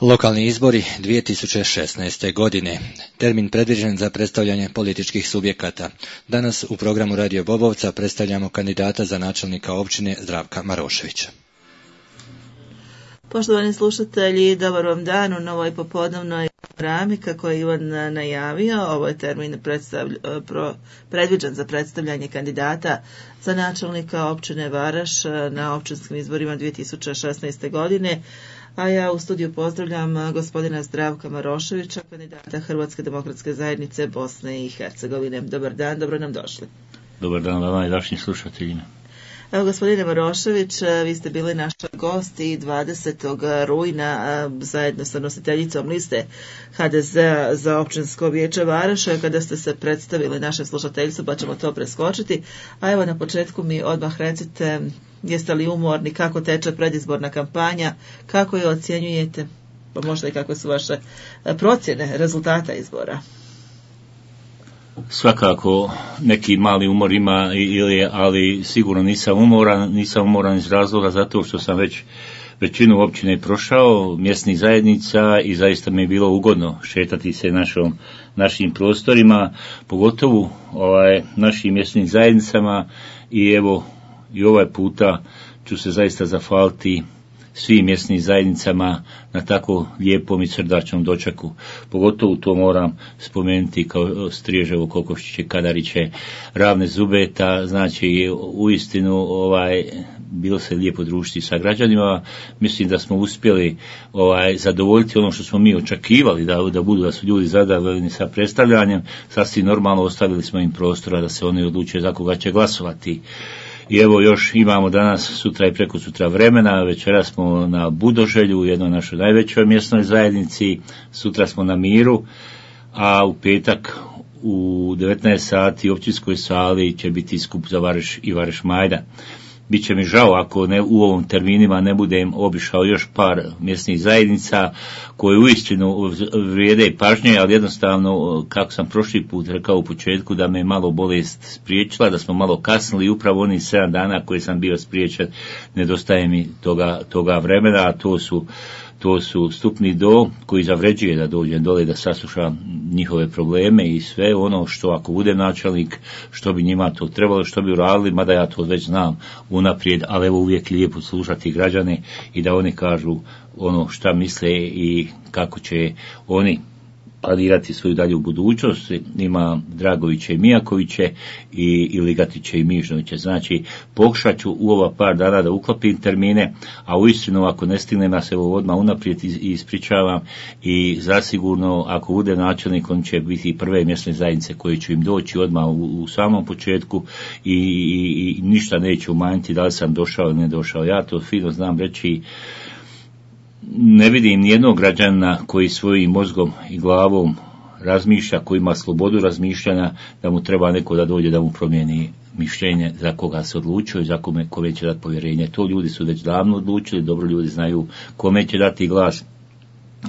Lokalni izbori 2016. godine. Termin predviđen za predstavljanje političkih subjekata. Danas u programu Radio Bobovca predstavljamo kandidata za načelnika općine Zdravka Maroševića. Poštovani slušatelji, dobar vam dan u novoj popodnevnoj programi. Kako je Ivan najavio, ovo je termin predviđen za predstavljanje kandidata za načelnika općine Varaš na općinskim izborima 2016. godine. A ja u studiju pozdravljam gospodina Zdravka Maroševića, kandidata Hrvatske demokratske zajednice Bosne i Hercegovine. Dobar dan, dobro nam došli. Dobar dan vama i vašim slušateljima. Evo, gospodine Marošević, vi ste bili naš gost i 20. rujna zajedno sa nositeljicom liste HDZ-a za općinsko vijeće Varaša, kada ste se predstavili našem slušateljstvu, pa ćemo to preskočiti. A evo, na početku mi odmah recite, jeste li umorni, kako teče predizborna kampanja, kako je ocjenjujete, pa možda i kakve su vaše procjene rezultata izbora? Svakako neki mali umor ima, ali sigurno nisam umoran iz razloga zato što sam već većinu općine prošao, mjesnih zajednica, i zaista mi je bilo ugodno šetati se našim prostorima, pogotovo našim mjesnim zajednicama, i evo i ovaj puta ću se zaista zahvaliti svim mjesnim zajednicama na tako lijepom i srdačnom dočeku. Pogotovo to moram spomenuti kao Striježevo, Kokošće, Kadariće, Ravne, Zubeta. Znači, uistinu bilo se lijepo družiti sa građanima. Mislim da smo uspjeli zadovoljiti ono što smo mi očekivali da su ljudi zadovoljni sa predstavljanjem. Sasvim normalno ostavili smo im prostora da se oni odluče za koga će glasovati. I evo, još imamo danas, sutra i preko sutra vremena. Večera smo na Budoželju, u jednoj našoj najvećoj mjesnoj zajednici, sutra smo na Miru, a u petak u 19 sati u općinskoj sali će biti skup za Vareš i Vareš Majdan. Biće mi žao ako u ovom terminima ne budem obišao još par mjesnih zajednica koje uistinu vrijede pažnje, ali jednostavno, kako sam prošli put rekao u početku, da me malo bolest spriječila, da smo malo kasnili, upravo onih 7 dana koje sam bio spriječen, nedostaje mi toga vremena, a to su Stupni do, koji zavređuje da dođem dole da saslušam njihove probleme i sve ono što, ako bude načelnik, što bi njima to trebalo, što bi uradili, mada ja to već znam unaprijed, ali evo, uvijek lijepo slušati građane i da oni kažu ono šta misle i kako će oni planirati svoju dalju budućnost. Ima Dragoviće i Mijakoviće i Ligatiće i Mižnoviće. Znači, pokušat ću u ova par dana da uklopim termine, a uistinu ako ne stignem, ja se ovo odmah unaprijed ispričavam, i zasigurno ako bude načelnik, on će biti prve mjesne zajednice koje će im doći odmah u samom početku i ništa neće umanjiti da li sam došao ili ne došao. Ja to fino znam reći. Ne vidim nijednog građana koji svojim mozgom i glavom razmišlja, koji ima slobodu razmišljanja, da mu treba neko da dođe da mu promijeni mišljenje za koga se odlučio i za kome će dati povjerenje. To ljudi su već davno odlučili, dobro ljudi znaju kome će dati glas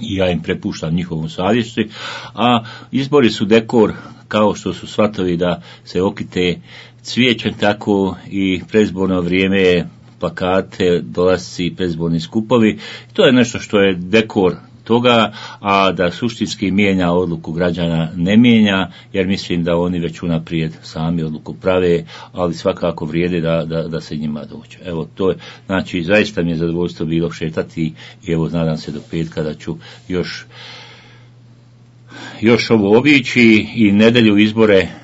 i ja im prepuštam njihovom savjesti, a izbori su dekor, kao što su svatovi da se okite cvijećem, tako i predizborno vrijeme je plakate, dolasci, predizborni skupovi. To je nešto što je dekor toga, a da suštinski mijenja odluku građana ne mijenja, jer mislim da oni već unaprijed sami odluku prave, ali svakako vrijede da se njima dođe. Evo, to je, znači, zaista mi je zadovoljstvo bilo šetati i evo, nadam se do petka da ću još ovo obići i nedjelju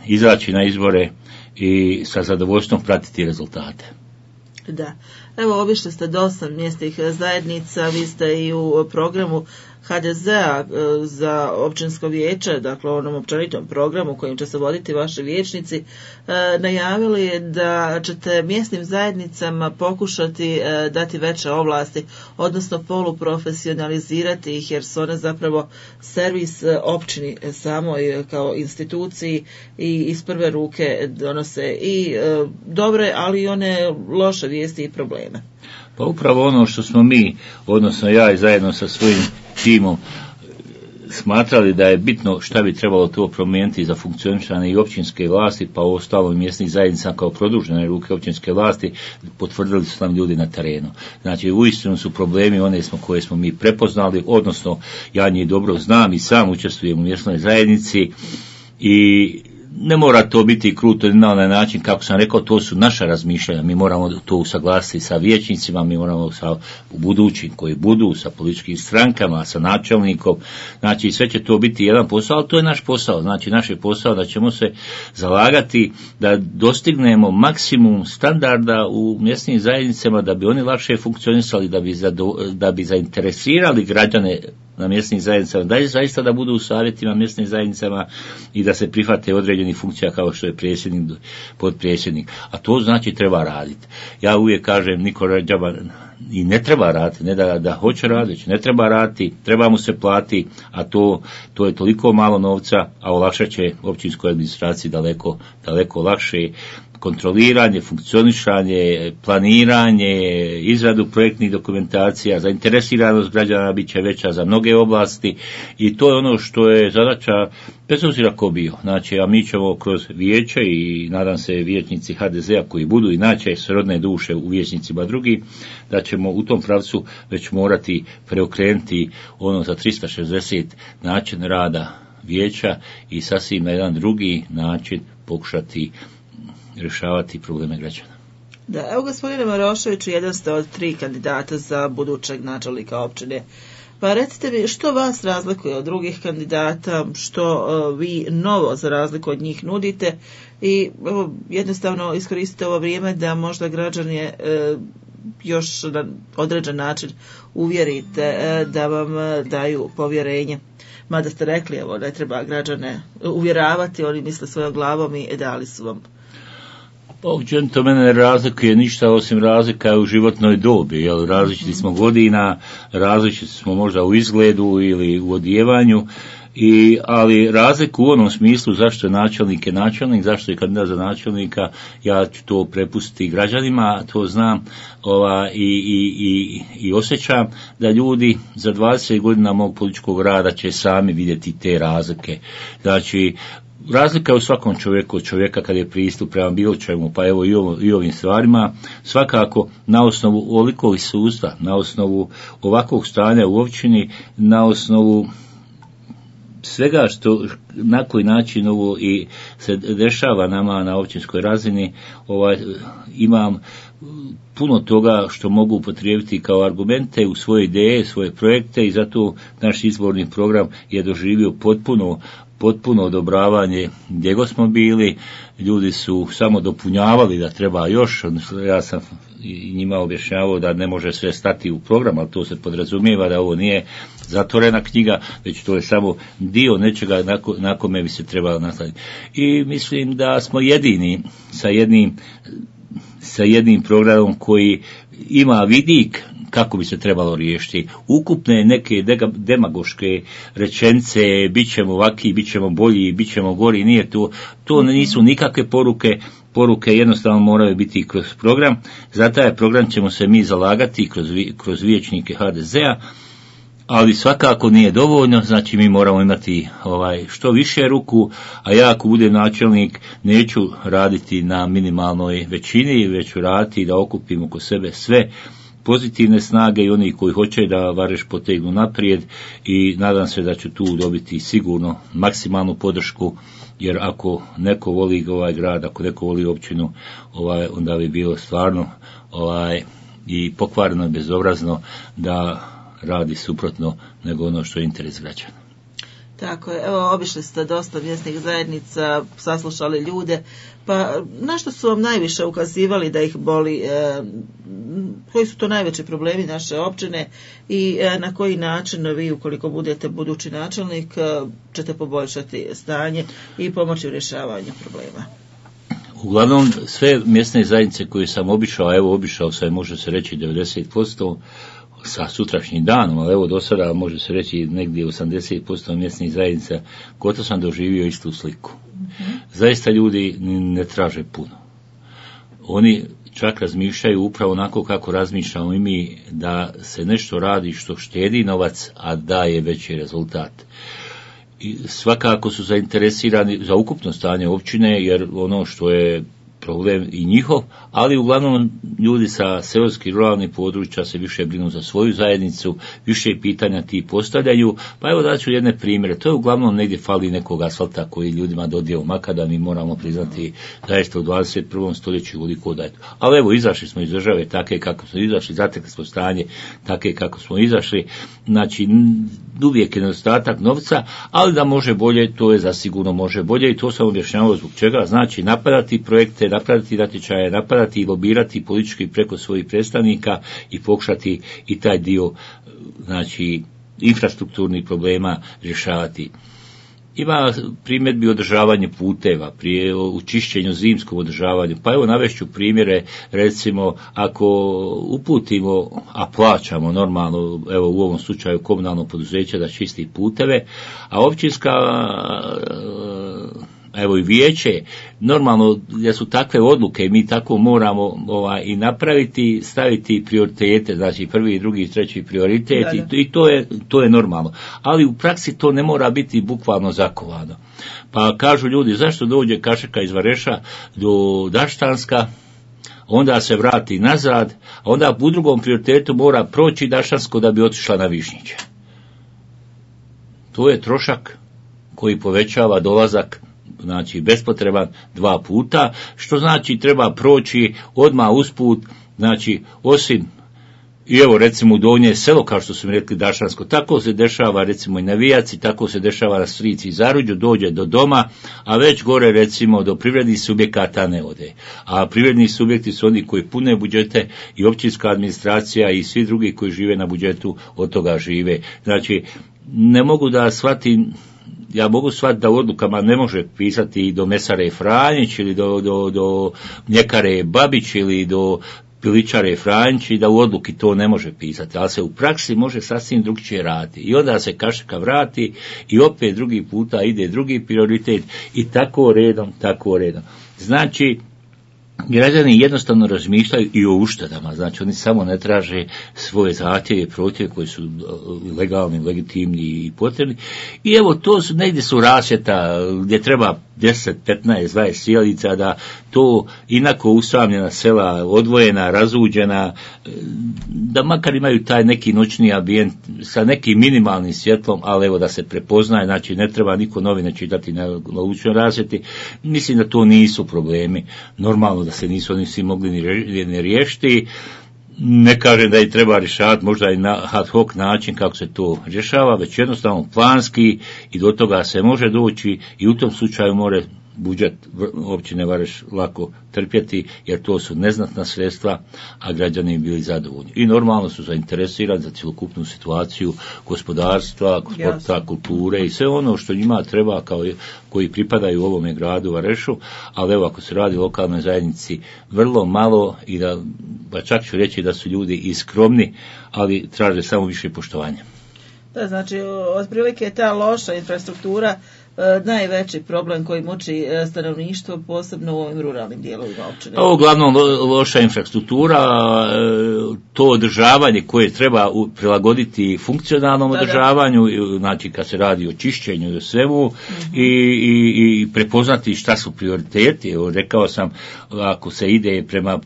izaći na izbore i sa zadovoljstvom pratiti rezultate. Da, evo, obišli ste dosta mjesnih zajednica, vi ste i u programu HDZ-a za općinsko vijeće, dakle onom općenitom programu kojim će se voditi vaši vijećnici, najavili da ćete mjesnim zajednicama pokušati dati veće ovlasti, odnosno poluprofesionalizirati ih, jer su one zapravo servis općini samoj kao instituciji i iz prve ruke donose i dobre, ali i one loše vijesti i probleme. Pa upravo ono što smo mi, odnosno ja i zajedno sa svojim timom smatrali da je bitno šta bi trebalo to promijeniti za funkcioniranje i općinske vlasti, pa u ostalom mjesnih zajednica kao produžene ruke općinske vlasti, potvrdili su nam ljudi na terenu. Znači, uistinu su problemi one koje smo mi prepoznali, odnosno ja njih dobro znam i sam učestvujem u mjesnoj zajednici i ne mora to biti kruto na onaj način, kako sam rekao, to su naša razmišljanja, mi moramo to usaglasiti sa vijećnicima, mi moramo sa budućim koji budu, sa političkim strankama, sa načelnikom, znači sve će to biti jedan posao, ali to je naš posao, znači naš je posao da ćemo se zalagati da dostignemo maksimum standarda u mjesnim zajednicama, da bi oni lakše funkcionisali, da bi zainteresirali građane na mjesnim zajednicama, da je zaista da budu u savjetima mjesnim zajednicama i da se prihvate određenih funkcija kao što je predsjednik, potpredsjednik. A to znači treba raditi. Ja uvijek kažem, niko džaba i ne treba raditi, ne da hoće raditi, ne treba raditi, treba mu se plati, a to je toliko malo novca, a olakšat će općinskoj administraciji daleko lakše kontroliranje, funkcioniranje, planiranje, izradu projektnih dokumentacija, zainteresiranost građana bit će veća za mnoge oblasti i to je ono što je zadaća bez obzira ko bio. Znači, a mi ćemo kroz vijeće i nadam se vijećnici HDZ-a koji budu inače srodne duše u vijećnicima drugi, da ćemo u tom pravcu već morati preokrenuti ono za 360 način rada vijeća i sasvim na jedan drugi način pokušati rješavati probleme građana. Da, evo gospodine Maroševiću, jedan ste od 3 kandidata za budućeg načelnika općine. Pa recite mi, što vas razlikuje od drugih kandidata, što vi novo za razliku od njih nudite i jednostavno iskoristite ovo vrijeme da možda građane još na određen način uvjerite da vam daju povjerenje. Mada ste rekli, evo, da treba građane uvjeravati, oni misle svojom glavom i dali su vam. To mene ne razlikuje ništa osim razlika u životnoj dobi, jer različiti smo godina, različiti smo možda u izgledu ili u odjevanju, ali razliku u onom smislu zašto je načelnik, zašto je kandidat za načelnika, ja ću to prepustiti građanima, to znam i osjećam da ljudi za 20 godina mog političkog rada će sami vidjeti te razlike. Znači, razlika je u svakom čovjeku od čovjeka kad je pristup prema bilo čemu, pa evo i ovim stvarima, svakako na osnovu ovolikog iskustva, na osnovu ovakvog stanja u općini, na osnovu svega što na koji način ovo i se dešava nama na općinskoj razini, imam puno toga što mogu upotrijebiti kao argumente u svoje ideje, svoje projekte i zato naš izborni program je doživio potpuno odobravanje gdje god smo bili. Ljudi su samo dopunjavali da treba još, ja sam njima objašnjavao da ne može sve stati u program, ali to se podrazumijeva da ovo nije zatvorena knjiga, već to je samo dio nečega na kome bi se trebalo nastaviti. I mislim da smo jedini sa jednim programom koji ima vidik kako bi se trebalo riješiti. Ukupne neke demagoške rečenice, bit ćemo ovaki, bit ćemo bolji, bit ćemo gori, nije to nisu nikakve poruke jednostavno moraju biti kroz program. Za taj program ćemo se mi zalagati kroz vijećnike HDZ-a, ali svakako nije dovoljno, znači mi moramo imati što više ruku, a ja ako budem načelnik neću raditi na minimalnoj većini, već ću raditi da okupim oko sebe sve pozitivne snage i oni koji hoće da Vareš potegnu naprijed i nadam se da ću tu dobiti sigurno maksimalnu podršku, jer ako neko voli ovaj grad, ako neko voli općinu, onda bi bilo stvarno i pokvareno i bezobrazno da radi suprotno nego ono što je interes građana. Tako je, evo obišli ste dosta mjesnih zajednica, saslušali ljude, pa na što su vam najviše ukazivali da ih boli, koji su to najveći problemi naše općine i na koji način vi, ukoliko budete budući načelnik, ćete poboljšati stanje i pomoći u rješavanju problema? Uglavnom, sve mjesne zajednice koje sam obišao sam, može se reći 90%, sa sutrašnjim danom, ali evo do sada može se reći negdje 80% mjesnih zajednica, gotovo sam doživio istu sliku. Zaista ljudi ne traže puno. Oni čak razmišljaju upravo onako kako razmišljamo i mi, da se nešto radi što štedi novac, a daje veći rezultat. I svakako su zainteresirani za ukupno stanje općine, jer ono što je problem i njihov, ali uglavnom ljudi sa seoskih ruralnih područja se više brinu za svoju zajednicu, više pitanja ti postavljaju, pa evo daću jedne primjere. To je uglavnom negdje fali nekog asfalta koji ljudima dodijel makada, mi moramo priznati zaista u 21. stoljeću koliko da je to. Ali evo, izašli smo iz države take kako smo izašli, zatekli smo stanje take kako smo izašli, znači uvijek je nedostatak novca, ali da može bolje, to je zasigurno može bolje i to sam objašnjavao zbog čega. Znači napadati projekte, napadati natječaje, napadati i lobirati politički preko svojih predstavnika i pokušati i taj dio, znači, infrastrukturnih problema rješavati. Ima primjedbi održavanje puteva, prije u čišćenju, zimskom održavanju. Pa evo navešću primjere, recimo ako uputimo, a plaćamo normalno, evo u ovom slučaju komunalno poduzeće da čisti puteve, a općinska evo i vijeće, normalno jer su takve odluke i mi tako moramo i napraviti, staviti prioritete, znači prvi, drugi, treći prioritet i to je normalno. Ali u praksi to ne mora biti bukvalno zakovano. Pa kažu ljudi, zašto dođe kašika iz Vareša do Daštanska, onda se vrati nazad, a onda u drugom prioritetu mora proći Daštansko da bi otišla na Višnjiće. To je trošak koji povećava dolazak, znači bespotreban 2 puta, što znači treba proći odmah usput, znači osim i evo recimo u Donje selo, kao što su mi rekli Dašansko, tako se dešava recimo i na Vijaci, tako se dešava na Strici i Zaruđu, dođe do doma, a već gore recimo do privrednih subjekata ne ode. A privredni subjekti su oni koji pune budžete i općinska administracija i svi drugi koji žive na budžetu od toga žive. Znači ne mogu da shvatim, ja mogu shvatiti da u odlukama ne može pisati i do mesare Franjić ili do mljekare Babić ili do piličare Franjić i da u odluki to ne može pisati, ali se u praksi može sasvim drugčije raditi. I onda se kašika vrati i opet drugi puta ide drugi prioritet i tako redom. Znači, građani jednostavno razmišljaju i o uštedama, znači oni samo ne traže svoje zahtjeve i prohtjeve koji su legalni, legitimni i potrebni. I evo to su, negdje su rasvjeta gdje treba 10, 15, 20 sjelica, da to inako usamljena sela, odvojena, razuđena, da makar imaju taj neki noćni ambijent sa nekim minimalnim svjetlom, ali evo da se prepoznaje, znači ne treba niko novine čitati na lučnoj rasvjeti. Mislim da to nisu problemi, normalno da se nisu oni svi mogli ni riješiti. Ne kažem da ih treba rješavati možda i na ad hoc način kako se to rješava, već jednostavno planski i do toga se može doći i u tom slučaju more budžet općine Vareš lako trpjeti, jer to su neznatna sredstva, a građani bili zadovoljni. I normalno su zainteresirani za cjelokupnu situaciju gospodarstva, sporta, kulture i sve ono što njima treba koji pripadaju ovome gradu Varešu, ali evo ako se radi o lokalnoj zajednici vrlo malo i da, pa čak ću reći da su ljudi i skromni, ali traže samo više poštovanja. Da, znači, otprilike je ta loša infrastruktura najveći problem koji muči stanovništvo, posebno u ovim ruralnim dijelovima općine. Ovo uglavnom loša infrastruktura, to održavanje koje treba prilagoditi funkcionalnom održavanju, znači kad se radi o čišćenju i o svemu, i prepoznati šta su prioriteti. Evo, rekao sam, ako se ide prema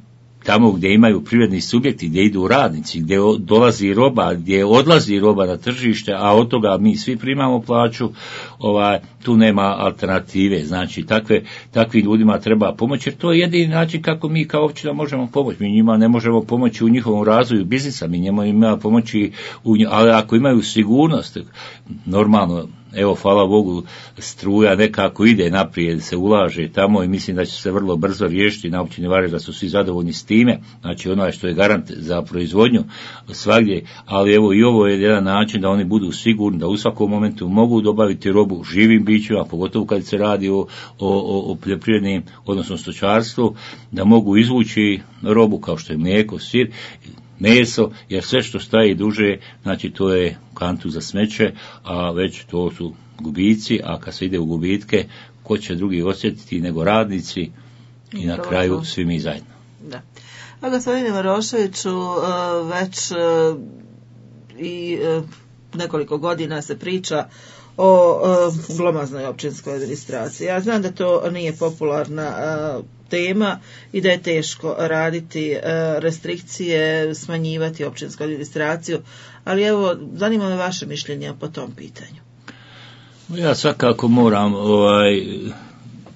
tamo gdje imaju privredni subjekti, gdje idu radnici, gdje dolazi roba, gdje odlazi roba na tržište, a od toga mi svi primamo plaću, tu nema alternative. Znači, takvim ljudima treba pomoći, jer to je jedini način kako mi kao općina možemo pomoći. Mi njima ne možemo pomoći u njihovom razvoju biznisa, mi njima imamo pomoći, ali ako imaju sigurnost, normalno, evo, hvala Bogu, struja nekako ide naprijed, se ulaže tamo i mislim da će se vrlo brzo riješiti na općini Vareš, da su svi zadovoljni s time, znači ono što je garant za proizvodnju svagdje, ali evo i ovo je jedan način da oni budu sigurni da u svakom momentu mogu dobaviti robu živim bićima, pogotovo kad se radi o poljoprivrednim, odnosno stočarstvu, da mogu izvući robu kao što je mlijeko, sir, meso, jer sve što staje duže, znači to je kantu za smeće, a već to su gubici, a kad se ide u gubitke, ko će drugi osjetiti nego radnici i na kraju svi mi zajedno. Da. A gospodine Maroševiću, već i nekoliko godina se priča o glomaznoj općinskoj administraciji. Ja znam da to nije popularna tema i da je teško raditi restrikcije, smanjivati općinsku administraciju, ali evo, zanima me vaše mišljenje po tom pitanju. Ja svakako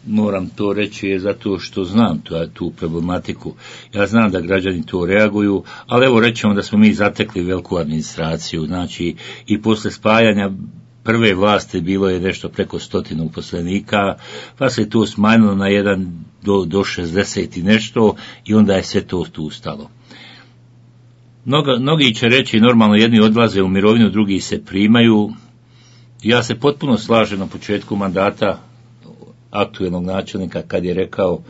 moram to reći zato što znam tu problematiku. Ja znam da građani to reaguju, ali evo rećemo da smo mi zatekli veliku administraciju, znači i posle spajanja prve vlasti bilo je nešto preko 100 uposlenika, pa se to smanjilo na 1 do 60 i nešto i onda je sve to tu stalo. Mnogi će reći normalno jedni odlaze u mirovinu, drugi se primaju. Ja se potpuno slažem na početku mandata aktuelnog načelnika kad je rekao,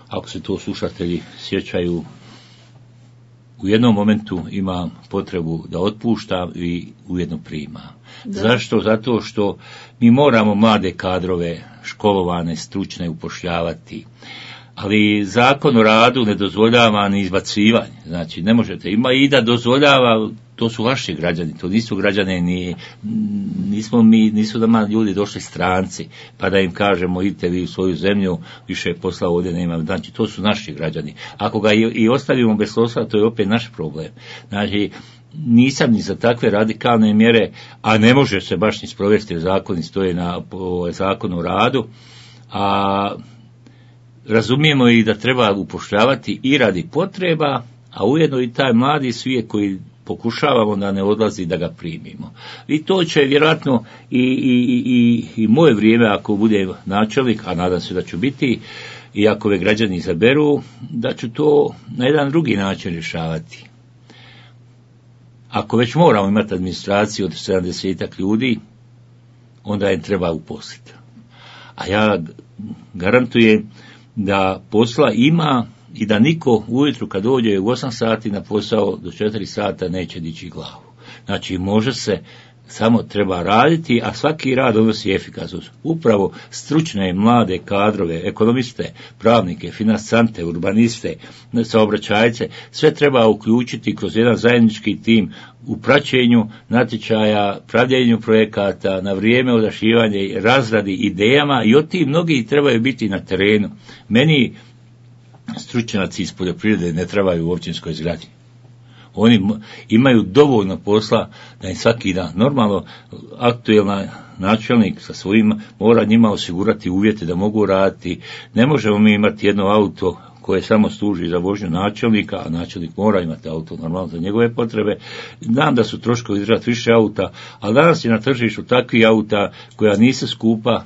ako se to slušatelji sjećaju, u jednom momentu ima potrebu da otpušta i ujedno prima. Da. Zašto? Zato što mi moramo mlade kadrove, školovane, stručne upošljavati. Ali zakon o radu ne dozvoljava ni izbacivanje. Znači, ne možete, ima i da dozvoljava, to su vaši građani, to nisu građane, nisu da ljudi došli stranci, pa da im kažemo idite vi u svoju zemlju, više posla ovdje nema. Znači, to su naši građani. Ako ga i ostavimo bez posla, to je opet naš problem. Znači, nisam ni za takve radikalne mjere, a ne može se baš ni sprovesti, jer zakoni stoje na zakonu o radu, a razumijemo i da treba upošljavati i radi potreba, a ujedno i taj mladi svijet koji pokušavamo da ne odlazi da ga primimo. I to će vjerojatno i moje vrijeme, ako bude načelnik, a nadam se da ću biti, i ako ove građani izaberu, da ću to na jedan drugi način rješavati. Ako već moramo imati administraciju od 70 ljudi, onda je treba uposliti. A ja garantujem da posla ima i da niko ujutru kad dođe u 8 sati na posao do 4 sata neće dići glavu. Znači može se, samo treba raditi, a svaki rad donosi efikasnost. Upravo stručne mlade kadrove, ekonomiste, pravnike, finansante, urbaniste, saobraćajce, sve treba uključiti kroz jedan zajednički tim u praćenju natječaja, pravljenju projekata, na vrijeme odašivanja i razradi idejama, i od tih mnogi trebaju biti na terenu. Meni stručnjaci iz poljoprivrede ne trebaju u općinskoj zgradi. Oni imaju dovoljno posla da im svaki dan. Normalno, aktuelna načelnik sa svojim mora njima osigurati uvjete da mogu raditi. Ne možemo mi imati jedno auto koje samo služi za vožnju načelnika, a načelnik mora imati auto normalno za njegove potrebe. Znam da su troškovi izdržati više auta, ali danas je na tržištu takvi auta koja nisu skupa,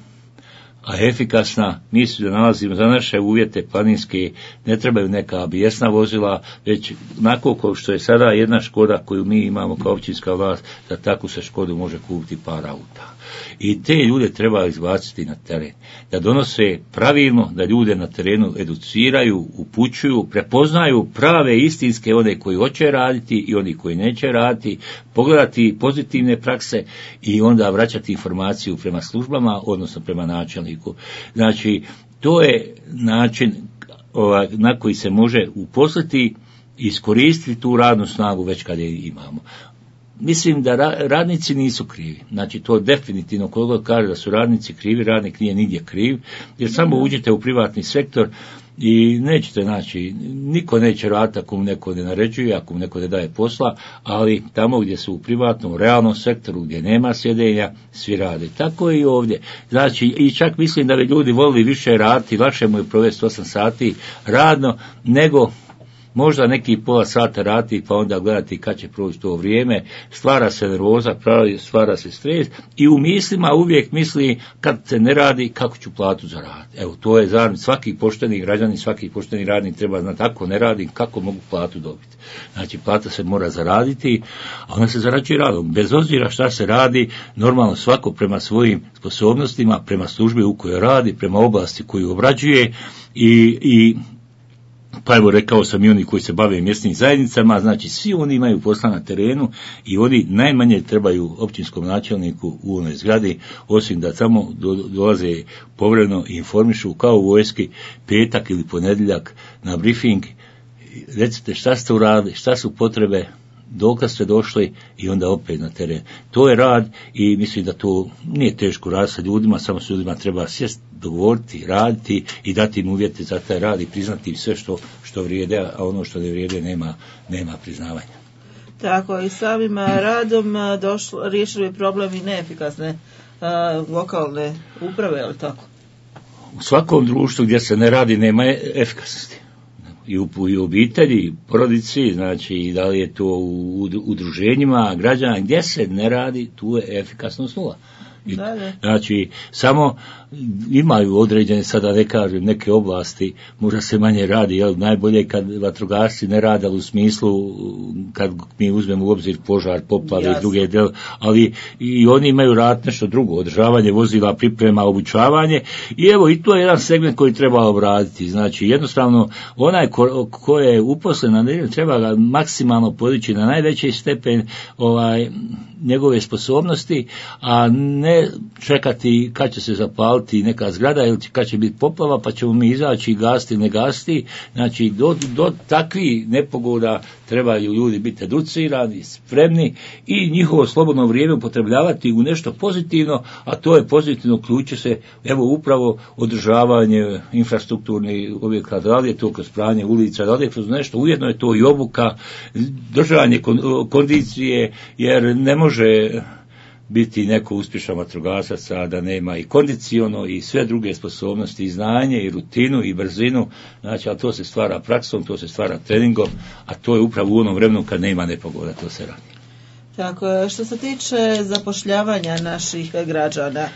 a efikasna. Mi se nalazimo za naše uvjete planinske, ne trebaju neka bijesna vozila, već onako kao što je sada jedna Škoda koju mi imamo kao općinska vlast, da takvu se Škodu može kupiti par auta. I te ljude treba izbaciti na teren, da donose pravilno, da ljude na terenu educiraju, upućuju, prepoznaju prave istinske, one koji hoće raditi i oni koji neće raditi, pogledati pozitivne prakse i onda vraćati informaciju prema službama, odnosno prema načelniku. Znači, to je način na koji se može uposliti i iskoristiti tu radnu snagu već kad je imamo. Mislim da radnici nisu krivi. Znači, to definitivno, koliko kaže da su radnici krivi, radnik nije nigdje kriv, jer samo uđete u privatni sektor i nećete, znači, niko neće raditi ako mu neko ne naređuje, ako mu neko ne daje posla, ali tamo gdje su u privatnom, realnom sektoru, gdje nema sjedenja, svi rade. Tako i ovdje. Znači, i čak mislim da bi ljudi volili više raditi, lakše mu je provesti 8 sati radno, nego možda neki pola sata raditi, pa onda gledati kad će proći to vrijeme, stvara se nervoza, stvara se stres i u mislima uvijek misli kad se ne radi kako ću platu zaraditi. Evo, to je zaraditi. Svaki pošteni građanin, svaki pošteni radnik treba znati ako ne radi, kako mogu platu dobiti. Znači, plata se mora zaraditi, a ona se zarađuje radom. Bez obzira šta se radi, normalno svako prema svojim sposobnostima, prema službi u kojoj radi, prema oblasti koju obrađuje i pa evo rekao sam i oni koji se bave mjesnim zajednicama, znači svi oni imaju posla na terenu i oni najmanje trebaju općinskom načelniku u onoj zgradi, osim da samo dolaze povremeno i informišu kao u vojski petak ili ponedjeljak na briefing recite šta ste uradili, šta su potrebe, dokad ste došli i onda opet na teren. To je rad i mislim da to nije teško rad sa ljudima, samo s ljudima treba sjesti, dogovoriti, raditi i dati im uvjete za taj rad i priznati im sve što vrijede, a ono što ne vrijede nema priznavanja. Tako, i samim radom riješili problem i neefikasne lokalne uprave, je li tako? U svakom društvu gdje se ne radi nema efikasnosti. I u obitelji, i porodici, znači i da li je to u udruženjima građana, gdje se ne radi, tu je efikasnost nula. Znači, samo imaju određene, sada ne kažem, neke oblasti, možda se manje radi, jel, najbolje kad vatrogasci ne rade, u smislu, kad mi uzmemo u obzir požar, poplave i druge del, ali i oni imaju rad nešto drugo, održavanje vozila, priprema, obučavanje, i evo, i to je jedan segment koji treba obraditi, znači, jednostavno, onaj ko je uposlen, treba ga maksimalno podići na najveći stepen njegove sposobnosti, a ne čekati kad će se zapaliti neka zgrada ili kad će biti poplava pa ćemo mi izaći gasiti ili ne gasiti. Znači do takvih nepogoda trebaju ljudi biti educirani, spremni i njihovo slobodno vrijeme upotrebljavati u nešto pozitivno, a to je pozitivno ključe se evo upravo održavanje infrastrukturnih objekata, da li je to kroz pranje ulica, da li je kroz nešto, ujedno je to i obuka, držanje kondicije, jer ne može biti neko uspješan vatrogasac, a da nema i kondiciono i sve druge sposobnosti, i znanje, i rutinu, i brzinu, znači, ali to se stvara praksom, to se stvara treningom, a to je upravo u onom vremenu kad nema nepogoda, to se radi. Tako, što se tiče zapošljavanja naših građana,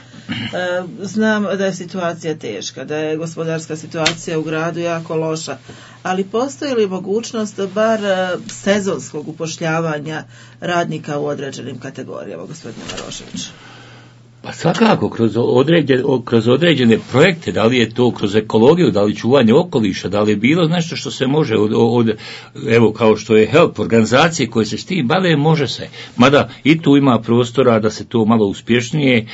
znam da je situacija teška, da je gospodarska situacija u gradu jako loša, ali postoji li mogućnost bar sezonskog upošljavanja radnika u određenim kategorijama, gospodine Marošević? Pa svakako, kroz određene projekte, da li je to kroz ekologiju, da li čuvanje okoliša, da li je bilo nešto što se može evo kao što je HELP, organizacije koje se s tim bave, može se. Mada i tu ima prostora da se to malo uspješnije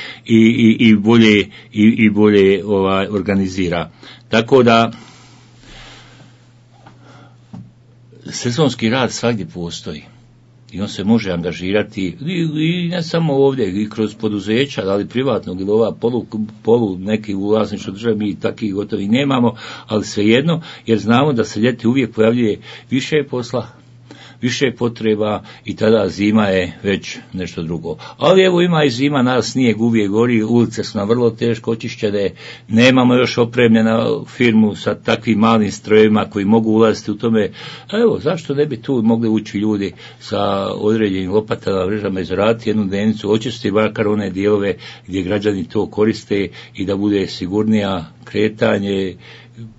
i bolje organizira. Tako da sezonski rad svagdje postoji. I on se može angažirati i ne samo ovdje, i kroz poduzeća, da li privatnog ili ova polu neki u vlasništvu države, mi takvih gotovi nemamo, ali svejedno, jer znamo da se ljeti uvijek pojavljuje više posla, više potreba i tada zima je već nešto drugo. Ali evo ima i zima, nas snijeg uvijek gori, ulice su nam vrlo teško očišćene, nemamo još opremljena firmu sa takvim malim strojevima koji mogu ulaziti u tome. Evo, zašto ne bi tu mogli ući ljudi sa određenim lopatama, mrežama i zaraditi jednu dnevnicu, očistiti makar one dijelove gdje građani to koriste i da bude sigurnija kretanje,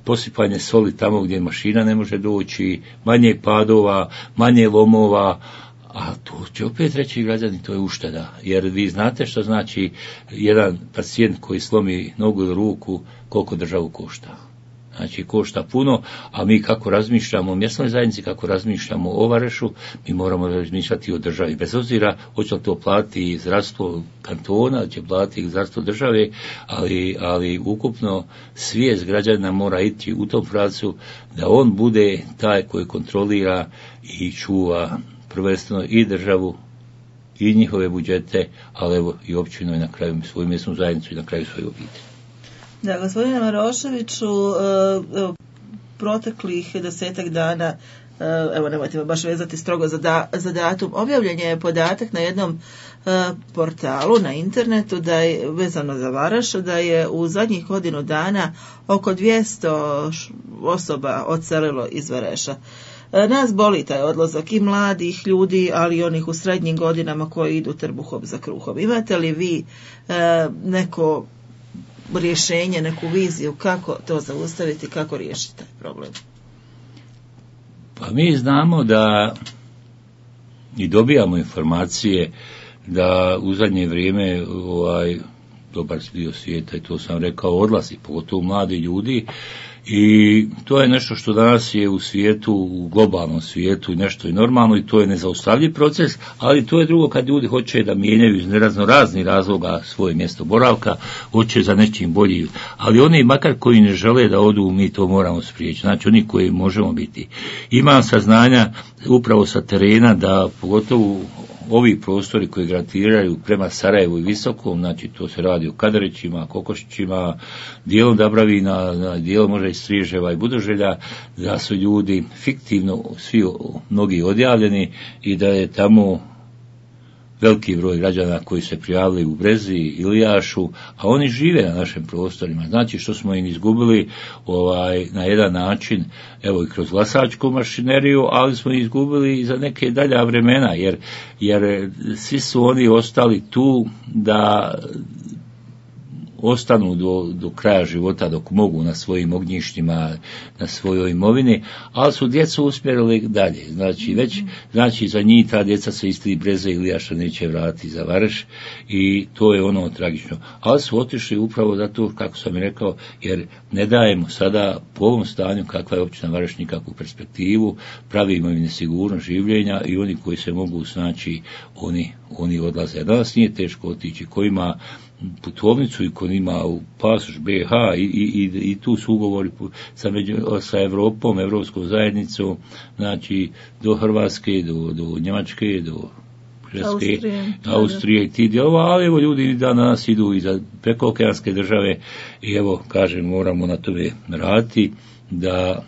posipanje soli tamo gdje mašina ne može doći, manje padova, manje lomova, a to će opet reći građani, to je ušteda, jer vi znate što znači jedan pacijent koji slomi nogu ili ruku, koliko državu košta. Znači košta puno, a mi kako razmišljamo o mjesnoj zajednici, kako razmišljamo o Varešu, mi moramo razmišljati o državi. Bez obzira hoće li to platiti zdravstvo kantona, će platiti zdravstvo države, ali ukupno svijest građana mora ići u tom pravcu da on bude taj koji kontrolira i čuva prvenstveno i državu i njihove budžete, ali evo i općinu i na kraju svoju mjesnu zajednicu i na kraju svoju obitelj. Da, gospodine Maroševiću, proteklih 10 dana, evo nemojte me baš vezati strogo za datum, objavljen je podatak na jednom portalu na internetu da je vezano za Varaš, da je u zadnjih godinu dana oko 200 osoba odselilo iz Vareša. Nas boli taj odlazak i mladih ljudi, ali i onih u srednjim godinama koji idu trbuhom za kruhom. Imate li vi neko rješenje, neku viziju kako to zaustaviti, kako riješiti taj problem? Pa mi znamo da i dobijamo informacije da u zadnje vrijeme dobar dio svijeta, i to sam rekao, odlazi, pogotovo mladi ljudi, I to je nešto što danas je u svijetu, u globalnom svijetu nešto i normalno i to je nezaustavljiv proces, ali to je drugo kad ljudi hoće da mijenjaju iz raznih razloga svoje mjesto boravka, hoće za nečim bolji, ali oni makar koji ne žele da odu, mi to moramo spriječiti, znači oni koji možemo biti. Imam saznanja upravo sa terena da pogotovo ovi prostori koji gravitiraju prema Sarajevu i Visokom, znači to se radi o Kadarićima, Kokošićima, dijelom Dabravina, dijelom možda i Striževa i Budoželja, da su ljudi fiktivno svi mnogi odjavljeni i da je tamo veliki broj građana koji se prijavili u Brezi, Ilijašu, a oni žive na našim prostorima. Znači što smo im izgubili na jedan način, evo i kroz glasačku mašineriju, ali smo izgubili i za neke dalja vremena, jer svi su oni ostali tu da ostanu do kraja života dok mogu na svojim ognjištima, na svojoj imovini, ali su djecu usmjerili dalje. Znači za njih ta djeca se isti Breze ili Ilijaša neće vratiti za Vareš i to je ono tragično. Ali su otišli upravo zato, kako sam i rekao, jer ne dajemo sada po ovom stanju kakva je općina Vareš nikakvu perspektivu, pravimo im nesigurnost življenja i oni koji se mogu snaći, oni odlaze. Danas nije teško otići, ko ima putovnicu i ko ima u pasoš BH i tu su ugovori sa Evropom, Evropskom zajednicom, znači do Hrvatske, do Njemačke, do Austrije i ti dijelova, ali evo ljudi danas idu i za prekookeanske države i evo kažem moramo na tome raditi da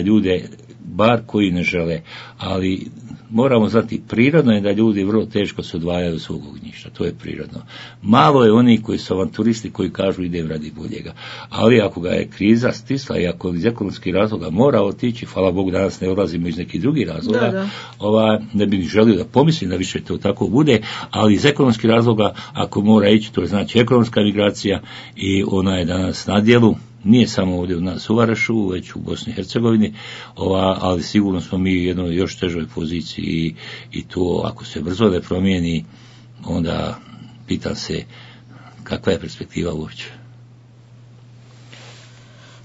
ljude bar koji ne žele, ali moramo znati, prirodno je da ljudi vrlo teško se odvajaju od svog ognjišta, to je prirodno. Malo je oni koji su avanturisti koji kažu idem radi boljega, ali ako ga je kriza stisla i ako iz ekonomskih razloga mora otići, hvala Bogu danas ne odlazimo iz nekih drugih razloga, ne bih želio da pomislim da više to tako bude, ali iz ekonomskih razloga ako mora ići, to je znači ekonomska migracija i ona je danas na djelu. Nije samo ovdje u nas u Varašu, već u Bosni i Hercegovini, ali sigurno smo mi u jednoj još težoj poziciji i to ako se brzo ne promijeni, onda pitam se kakva je perspektiva uopće.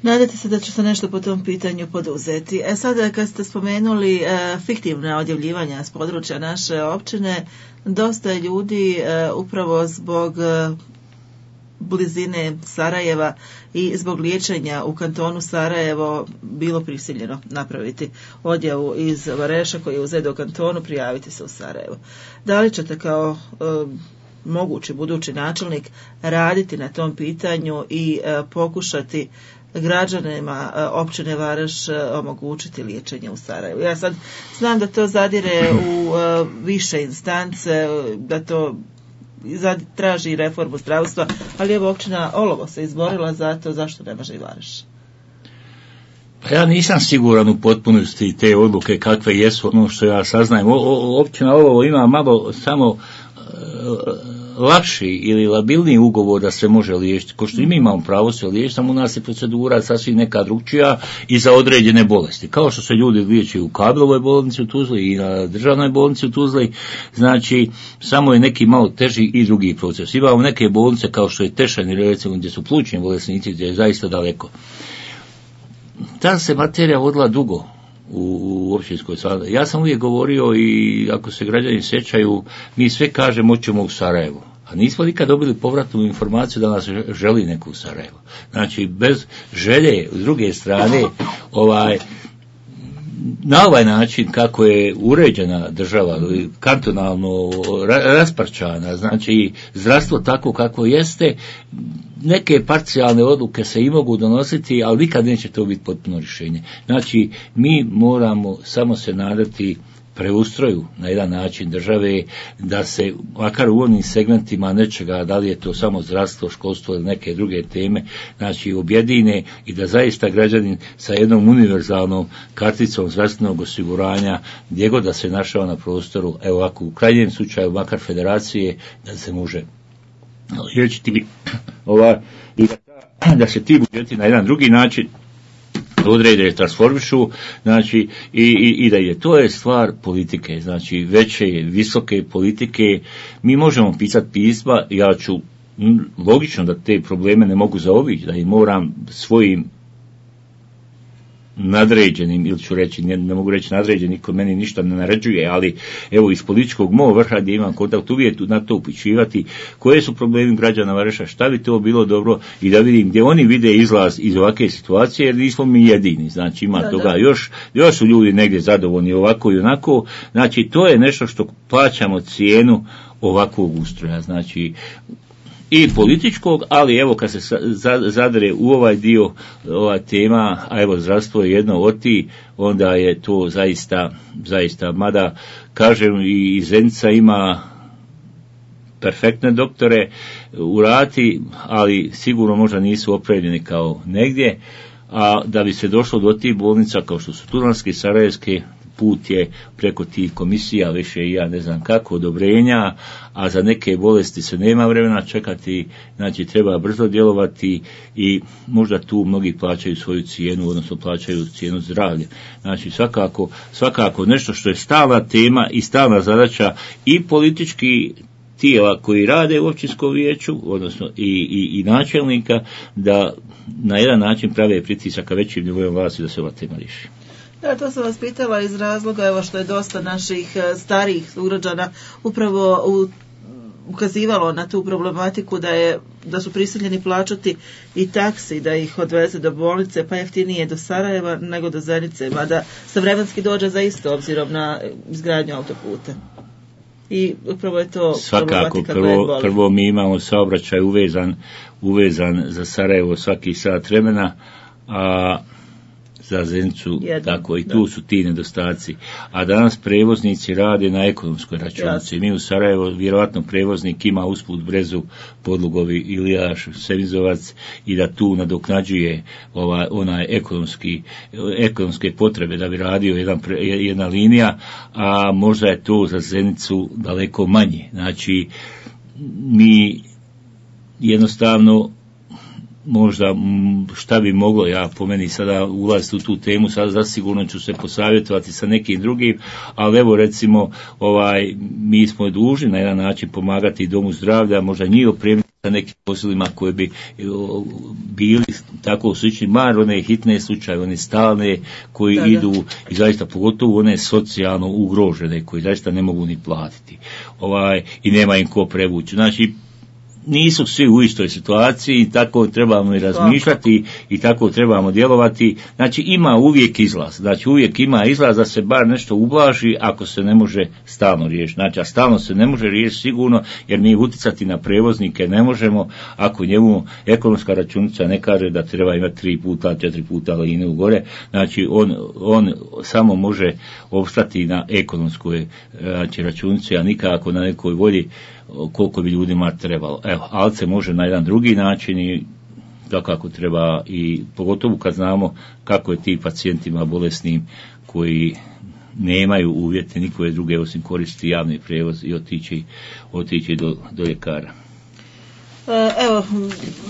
Nadate se da će se nešto po tom pitanju poduzeti. Sada kad ste spomenuli fiktivna odjavljivanja s područja naše općine, dosta je ljudi upravo zbog blizine Sarajeva i zbog liječenja u kantonu Sarajevo bilo prisiljeno napraviti odjavu iz Vareša koji je uzet u kantonu, prijaviti se u Sarajevo. Da li ćete kao mogući budući načelnik raditi na tom pitanju i pokušati građanima općine Vareš omogućiti liječenje u Sarajevu? Ja sad znam da to zadire u više instance, da to traži reformu zdravstva, ali evo općina Olovo se izborila za to, zašto ne može i Vareš? Pa ja nisam siguran u potpunosti te odluke kakve jesu, ono što ja saznajem. Općina Olovo ima malo samo lakši ili labilniji ugovor da se može liječiti. Ko što i mi imamo pravo se liječiti, samo u nas je procedura sasvim neka drugčija i za određene bolesti. Kao što se ljudi liječe u Kablovoj bolnici u Tuzli i na državnoj bolnici u Tuzli, znači samo je neki malo teži i drugi proces. Imamo neke bolnice kao što je Tešan, recimo gdje su plućni bolesnici, gdje je zaista daleko. Ta se materija vodila dugo u općinskoj Sarajevo. Ja sam uvijek govorio i ako se građani sjećaju, mi sve kažemo hoćemo u Sarajevo. A nismo nikad dobili povratnu informaciju da nas želi neko u Sarajevo. Znači, bez želje, s druge strane, na ovaj način kako je uređena država, kantonalno rasparčana, znači zdravstvo tako kako jeste, neke parcijalne odluke se i mogu donositi, ali nikad neće to biti potpuno rješenje. Znači, mi moramo samo se nadati preustroju na jedan način države, da se, makar u onim segmentima nečega, da li je to samo zdravstvo, školstvo ili neke druge teme, znači objedine i da zaista građanin sa jednom univerzalnom karticom zdravstvenog osiguranja, gdje god da se našao na prostoru, evo ovako u krajnjem slučaju, makar federacije, da se može liječiti i da se ti budžeti na jedan drugi način odrede, transformišu, znači i da je to je stvar politike, znači veće, visoke politike. Mi možemo pisati pisma, ja ću logično da te probleme ne mogu zaobići, da ih moram svojim nadređenim, ili ću reći, ne mogu reći nadređen, niko meni ništa ne naređuje, ali evo iz političkog mog vrha gdje imam kontakt uvijek na to upućivati koje su problemi građana Vareša, šta bi to bilo dobro i da vidim gdje oni vide izlaz iz ovakve situacije, jer nismo mi jedini, znači ima toga još su ljudi negdje zadovoljni ovako i onako, znači to je nešto što plaćamo cijenu ovakvog ustroja, znači i političkog, ali evo kad se zadre u ovaj dio, ova tema, a evo zdravstvo je jedno od ti, onda je to zaista, mada kažem i Zenica ima perfektne doktore u Rati, ali sigurno možda nisu opremljeni kao negdje, a da bi se došlo do tih bolnica kao što su Tuzlanske, Sarajevske, put je preko tih komisija, više i ja ne znam kako, odobrenja, a za neke bolesti se nema vremena čekati, znači treba brzo djelovati i možda tu mnogi plaćaju svoju cijenu, odnosno plaćaju cijenu zdravlja. Znači svakako nešto što je stalna tema i stalna zadaća i politički tijela koji rade u općinskom vijeću, odnosno i načelnika, da na jedan način prave pritisak ka većim nivojem vlasti da se ova tema riješi. Ja, to sam vas pitala iz razloga evo što je dosta naših starijih sugrađana upravo ukazivalo na tu problematiku da su prisiljeni plaćati i taksi da ih odveze do bolnice, pa jeftinije do Sarajeva nego do Zenice, mada se vremenski dođe za isto obzirom na izgradnju autoputa. I upravo je to problematika koja boli. Prvo mi imamo saobraćaj uvezan za Sarajevo svaki sat vremena, a za Zenicu, tako i tu su ti nedostaci. A danas prevoznici rade na ekonomskoj računici. Mi u Sarajevo, vjerojatno prevoznik ima usput Brezu, Podlugovi, Ilijaš, Sevizovac i da tu nadoknađuje onaj ekonomske potrebe da bi radio jedna linija, a možda je to za Zenicu daleko manje. Znači, mi jednostavno možda šta bi moglo, ja po meni sada ulaziti u tu temu, sada zasigurno ću se posavjetovati sa nekim drugim, ali evo recimo mi smo dužni na jedan način pomagati Domu zdravlja, možda njih opremiti sa nekim posilima koji bi bili tako slični, mar one hitne slučaje, one stalne koji idu i zaista pogotovo one socijalno ugrožene koji zaista ne mogu ni platiti i nema im ko prevući. Znači nisu svi u istoj situaciji i tako trebamo i razmišljati i tako trebamo djelovati. Znači ima uvijek izlaz. Znači uvijek ima izlaz da se bar nešto ublaži ako se ne može stalno riješiti. Znači a stalno se ne može riješiti sigurno jer mi utjecati na prevoznike ne možemo ako njemu ekonomska računica ne kaže da treba imati 3 puta, 4 puta liniju gore. Znači on samo može opstati na ekonomskoj računici, a nikako na nekoj volji koliko bi ljudima trebalo. Evo, ali se može na jedan drugi način i kako treba i pogotovo kad znamo kako je ti pacijentima bolesnim koji nemaju uvjete nikove druge osim koristiti javni prijevoz i otići do ljekara. Evo,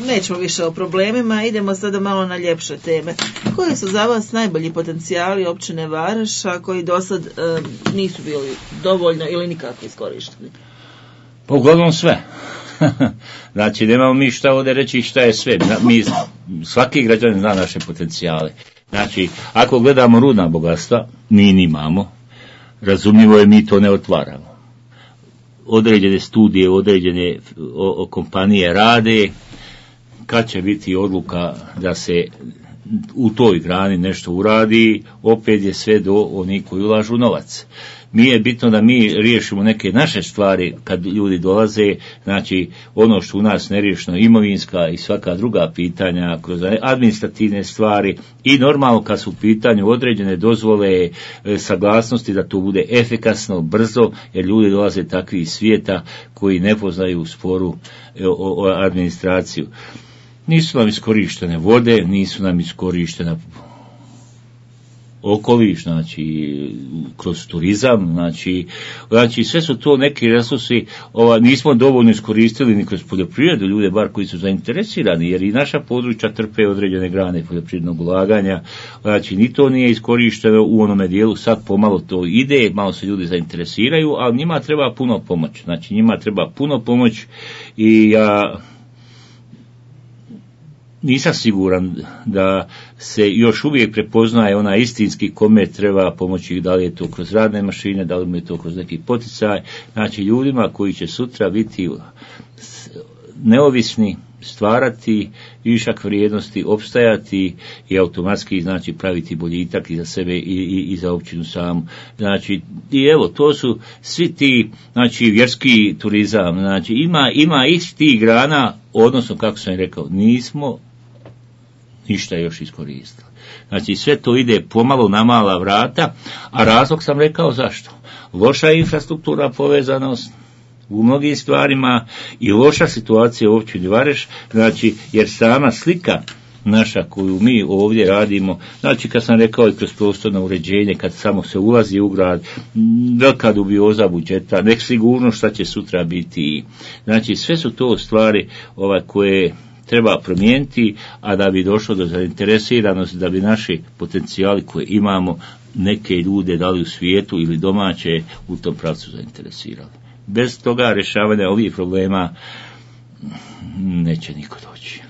nećemo više o problemima, idemo sada malo na ljepše teme. Koji su za vas najbolji potencijali općine Vareša koji do sad nisu bili dovoljno ili nikako iskorišteni? Pa uglavnom sve. Znači, nemamo mi šta ovdje reći šta je sve. Svaki građanin zna naše potencijale. Znači, ako gledamo rudna bogatstva, mi nimamo. Razumljivo je, mi to ne otvaramo. Određene studije, određene kompanije rade. Kad će biti odluka da se u toj grani nešto uradi, opet je sve do onih koji ulažu novac. Mi je bitno da mi riješimo neke naše stvari kad ljudi dolaze, znači ono što u nas neriješeno, imovinska i svaka druga pitanja, kroz administrativne stvari i normalno kad su u pitanju određene dozvole, saglasnosti da to bude efikasno, brzo, jer ljudi dolaze takvi iz svijeta koji ne poznaju sporu o administraciju. Nisu nam iskorištene vode, nisu nam iskorištena okoliš, znači kroz turizam, znači sve su to neki resursi, nismo dovoljno iskoristili ni kroz poljoprivredu, ljude bar koji su zainteresirani, jer i naša područja trpe određene grane poljoprivrednog ulaganja, znači ni to nije iskorišteno u onome dijelu, sad pomalo to ide, malo se ljudi zainteresiraju, ali njima treba puno pomoć, znači njima treba puno pomoć i ja nisam siguran da se još uvijek prepoznaje onaj istinski kome treba pomoći, da li je to kroz radne mašine, da li je to kroz neki poticaj, znači ljudima koji će sutra biti neovisni, stvarati višak vrijednosti, opstajati i automatski znači praviti boljitak i za sebe i za općinu samu. Znači, i evo, to su svi ti, znači, vjerski turizam, znači, ima isti grana, odnosno, kako sam rekao, nismo ništa još iskoristili. Znači, sve to ide pomalo na mala vrata, a razlog sam rekao zašto. Loša infrastruktura, povezanost u mnogim stvarima i loša situacija u općini Vareš, znači, jer sama slika naša koju mi ovdje radimo, znači kad sam rekao i kroz prostorno uređenje, kad samo se ulazi u grad, velika dubioza budžeta, nek sigurno šta će sutra biti, znači sve su to stvari koje treba promijeniti, a da bi došlo do zainteresiranosti, da bi naši potencijali koje imamo neke ljude, da li u svijetu ili domaće, u tom pravcu zainteresirali. Bez toga rješavanja ovih problema neće niko doći.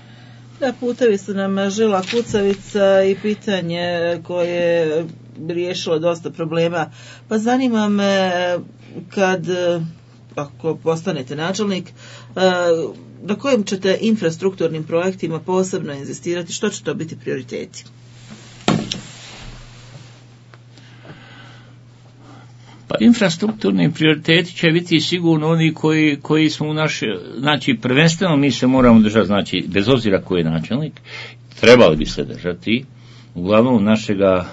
Da, putevi su nam žila kucavica i pitanje koje bi riješilo dosta problema. Pa zanima me, ako postanete načelnik, na kojim ćete infrastrukturnim projektima posebno inzistirati, što će to biti prioriteti? Pa infrastrukturni prioriteti će biti sigurno oni koji smo u naše, znači prvenstveno mi se moramo držati, znači bez obzira koji je načelnik, trebali bi se držati uglavnom našega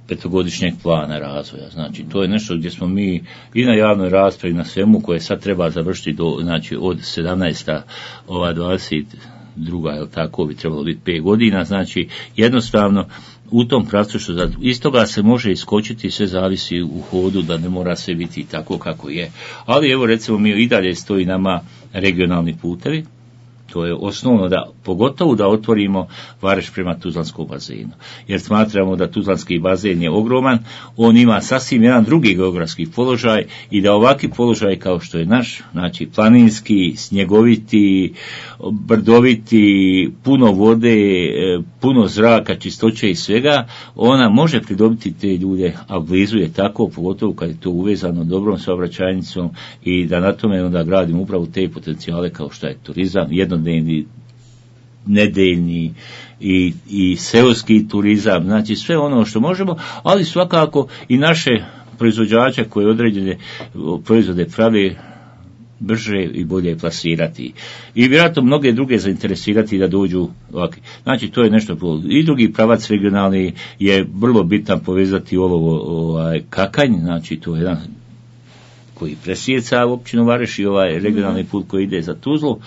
petogodišnjeg plana razvoja. Znači to je nešto gdje smo mi i na javnoj raspravi na svemu koje sad treba završiti znači od 17. 22. tako bi trebalo biti 5 godina, znači jednostavno u tom pravcu što iz toga se može iskočiti, sve zavisi u hodu, da ne mora sve biti tako kako je. Ali evo recimo mi i dalje stoji nama regionalni putevi, to je osnovno pogotovo da otvorimo Vareš prema Tuzlanskom bazenu. Jer smatramo da Tuzlanski bazen je ogroman, on ima sasvim jedan drugi geografski položaj i da ovakvi položaj kao što je naš, znači planinski, snjegoviti, brdoviti, puno vode, puno zraka, čistoće i svega, ona može pridobiti te ljude, a blizu je tako, pogotovo kad je to uvezano dobrom saobraćajnicom i da na tome onda gradimo upravo te potencijale kao što je turizam, jednodnevni, nedeljni i seoski turizam, znači sve ono što možemo, ali svakako i naše proizvođače koje određene proizvode pravi brže i bolje plasirati. I vjerojatno mnoge druge zainteresirati da dođu ovakvi. Znači to je nešto. I drugi pravac regionalni je vrlo bitan povezati Kakanj, znači to je jedan koji presjeca općinu Vareš i regionalni put koji ide za Tuzlu.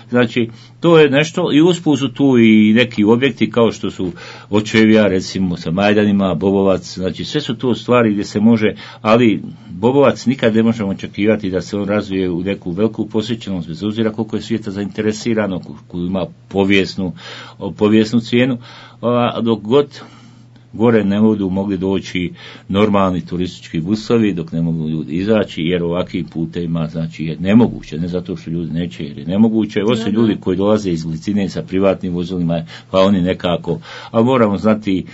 Znači, to je nešto i usput su tu i neki objekti kao što su Očevija, recimo sa Majdanima, Bobovac, znači sve su to stvari gdje se može, ali Bobovac nikad ne možemo očekivati da se on razvije u neku veliku posjećenost, bez obzira koliko je svijeta zainteresirano, koliko ima povijesnu cijenu, dok god gore ne budu mogli doći normalni turistički busovi, dok ne mogu ljudi izaći, jer ovakvim putevima znači je nemoguće, ne zato što ljudi neće, jer je nemoguće. Ovo su ljudi koji dolaze iz Glicine sa privatnim vozilima, pa oni nekako, ali moramo znati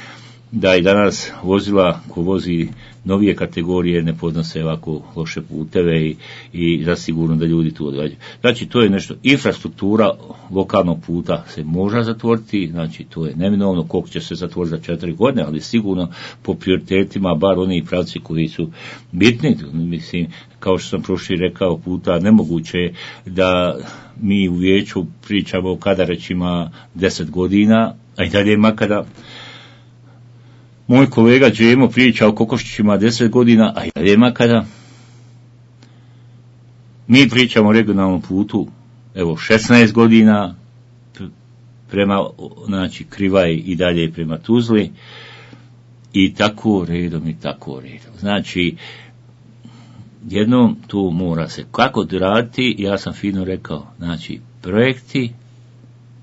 da i danas vozila ko vozi novije kategorije ne podnose ovako loše puteve i zasigurno da ljudi tu odgađaju. Znači to je nešto, infrastruktura lokalnog puta se može zatvoriti, znači to je neminovno, koliko će se zatvoriti za 4 godine, ali sigurno po prioritetima, bar oni pravci koji su bitni, mislim, kao što sam prošli rekao puta, nemoguće je da mi u vijeću pričamo o Kadarećima 10 godina, a i dalje makada moj kolega Džemo priča o Kokoščićima 10 godina, a i dalje makada. Mi pričamo o regionalnom putu, evo 16 godina, prema, znači Krivaj i dalje prema Tuzli, i tako redom. Znači, jednom tu mora se kako raditi, ja sam fino rekao, znači projekti,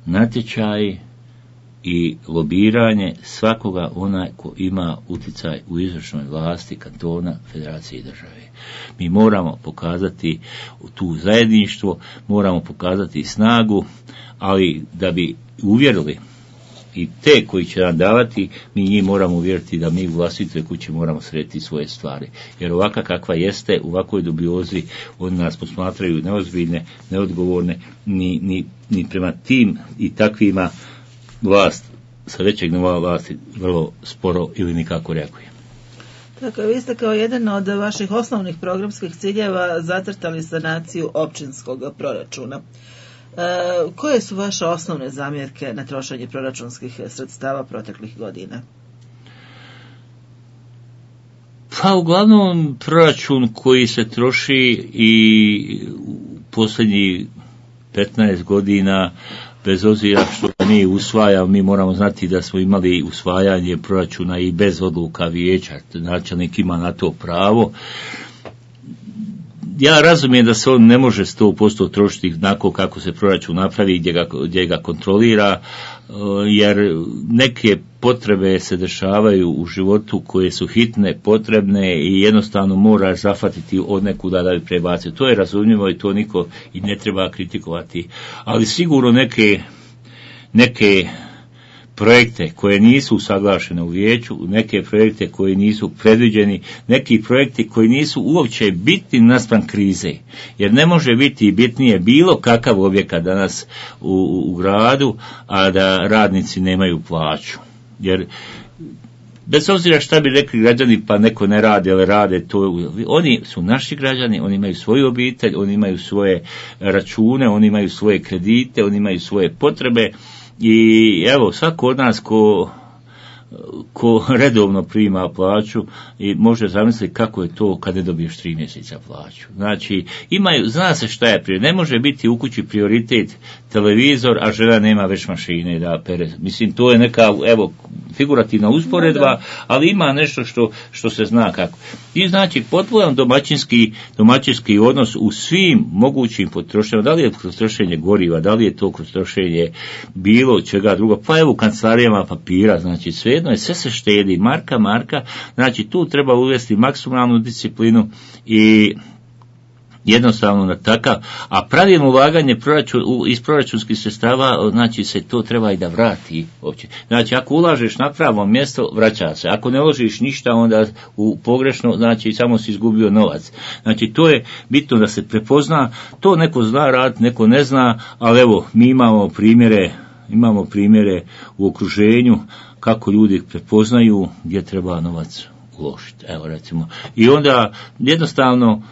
natječaji, i lobiranje svakoga onaj ko ima utjecaj u izvršnoj vlasti kantona, federacije i države. Mi moramo pokazati tu zajedništvo, moramo pokazati snagu, ali da bi uvjerili i te koji će nam davati, mi njih moramo uvjeriti da mi u vlastitoj kući moramo srediti svoje stvari. Jer ovaka kakva jeste, u ovakvoj dubiozi, oni nas posmatraju neozbiljne, neodgovorne, ni prema tim i takvima vlast sa većeg nivoa vlasti vrlo sporo ili nikako reaguje. Tako, vi ste kao jedan od vaših osnovnih programskih ciljeva zacrtali sanaciju općinskog proračuna. Koje su vaše osnovne zamjerke na trošenje proračunskih sredstava proteklih godina? Pa uglavnom proračun koji se troši i posljednjih 15 godina, bez obzira što mi usvajamo, mi moramo znati da smo imali usvajanje proračuna i bez odluka vijeća, načelnik ima na to pravo. Ja razumijem da se on ne može 100% trošiti onako kako se proračun napravi, gdje ga kontrolira, jer neke potrebe se dešavaju u životu koje su hitne, potrebne i jednostavno mora zahvatiti od nekuda da bi prebacio. To je razumljivo i to niko i ne treba kritikovati. Ali sigurno neke projekte koje nisu usaglašene u vijeću, neke projekte koji nisu predviđeni, neki projekti koji nisu uopće bitni naspram krize. Jer ne može biti bitnije bilo kakav objekat danas u gradu, a da radnici nemaju plaću. Jer bez obzira šta bi rekli građani, pa neko ne radi, ali rade to. Oni su naši građani, oni imaju svoju obitelj, oni imaju svoje račune, oni imaju svoje kredite, oni imaju svoje potrebe. I evo, svako od nas ko redovno prima plaću i može zamisliti kako je to kad ne dobiješ 3 mjeseca plaću. Znači, zna se šta je prioritet. Ne može biti u kući prioritet televizor, a žena nema već mašine da pere. Mislim, to je neka, evo, figurativna usporedba, ali ima nešto što se zna kako. I znači, potpuno domaćinski odnos u svim mogućim potrošnjama, da li je kroz trošenje goriva, da li je to kroz trošenje bilo čega drugo, pa evo u kancelarijama papira, znači svejedno je, sve se štedi, marka, znači tu treba uvesti maksimalnu disciplinu i jednostavno na takav, a pravilno ulaganje iz proračunskih sredstava, znači se to treba i da vrati uopće. Znači ako ulažeš na pravo mjesto, vraća se. Ako ne uložiš ništa, onda u pogrešno, znači samo si izgubio novac. Znači to je bitno da se prepozna, to neko zna raditi, neko ne zna, ali evo, mi imamo primjere u okruženju kako ljudi prepoznaju gdje treba novac uložiti. Evo recimo. I onda jednostavno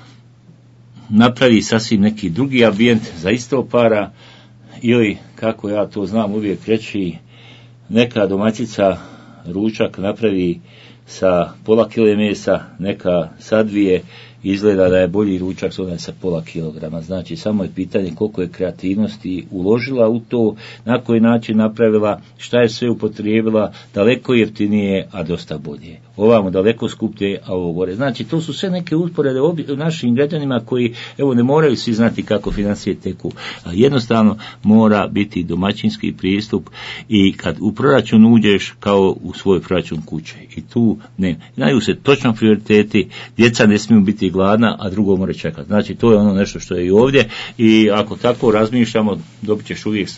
napravi sasvim neki drugi ambijent za isto para, ili kako ja to znam uvijek reći, neka domaćica ručak napravi sa pola kile mesa, neka sa 2, izgleda da je bolji ručak sa pola kilograma. Znači samo je pitanje koliko je kreativnosti uložila u to, na koji način napravila, šta je sve upotrijebila, daleko jeftinije, a dosta bolje. Ovamo daleko skuplje, a ovo gore. Znači to su sve neke usporede našim građanima koji evo ne moraju svi znati kako financije teku. A jednostavno mora biti domaćinski pristup i kad u proračun uđeš kao u svoj proračun kuće. I tu znaju se točno prioriteti, djeca ne smiju biti gladna, a drugo mora čekati. Znači to je ono nešto što je i ovdje i ako tako razmišljamo, dobit ćeš uvijek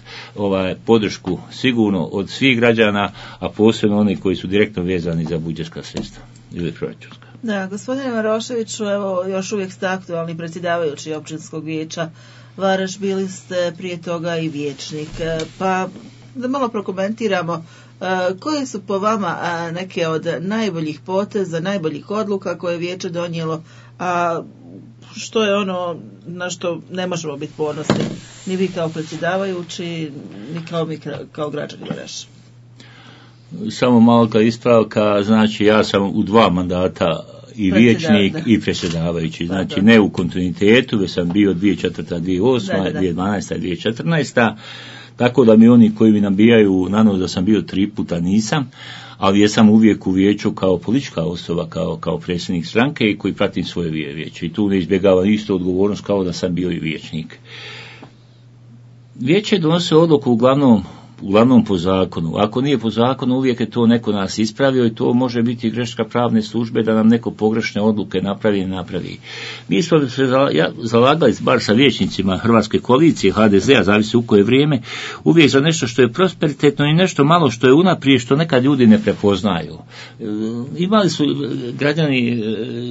podršku sigurno od svih građana, a posebno oni koji su direktno vezani za budžetska sredstva ili proračunska. Da, gospodine Maroševiću, evo još uvijek ste aktualni predsjedavajući općinskog vijeća Varaš, bili ste prije toga i vijećnik, pa da malo prokomentiramo koje su po vama neke od najboljih poteza, najboljih odluka koje je vijeće donijelo, a što je ono na što ne možemo biti ponosni, ni vi kao predsjedavajući, ni mi kao građani Varaša. Samo malka ispravka, znači ja sam u 2 mandata i vijećnik i predsjedavajući, znači ne u kontinuitetu, već sam bio 2004. 2008. 2012. 2014. Tako da mi oni koji mi nabijaju na nos da sam bio 3 puta nisam, ali jesam uvijek u vijeću kao politička osoba, kao predsjednik stranke i koji pratim svoje vijeće. I tu ne izbjegavam isto odgovornost kao da sam bio i vijećnik. Vijeće donose odluku uglavnom uglavnom po zakonu. Ako nije po zakonu, uvijek je to neko nas ispravio i to može biti greška pravne službe da nam neko pogrešne odluke napravi. Mi smo se zalagali, bar sa vijećnicima Hrvatske koalicije, HDZ-a, zavisi u koje vrijeme, uvijek za nešto što je prosperitetno i nešto malo što je unaprijed, što nekad ljudi ne prepoznaju. Imali su građani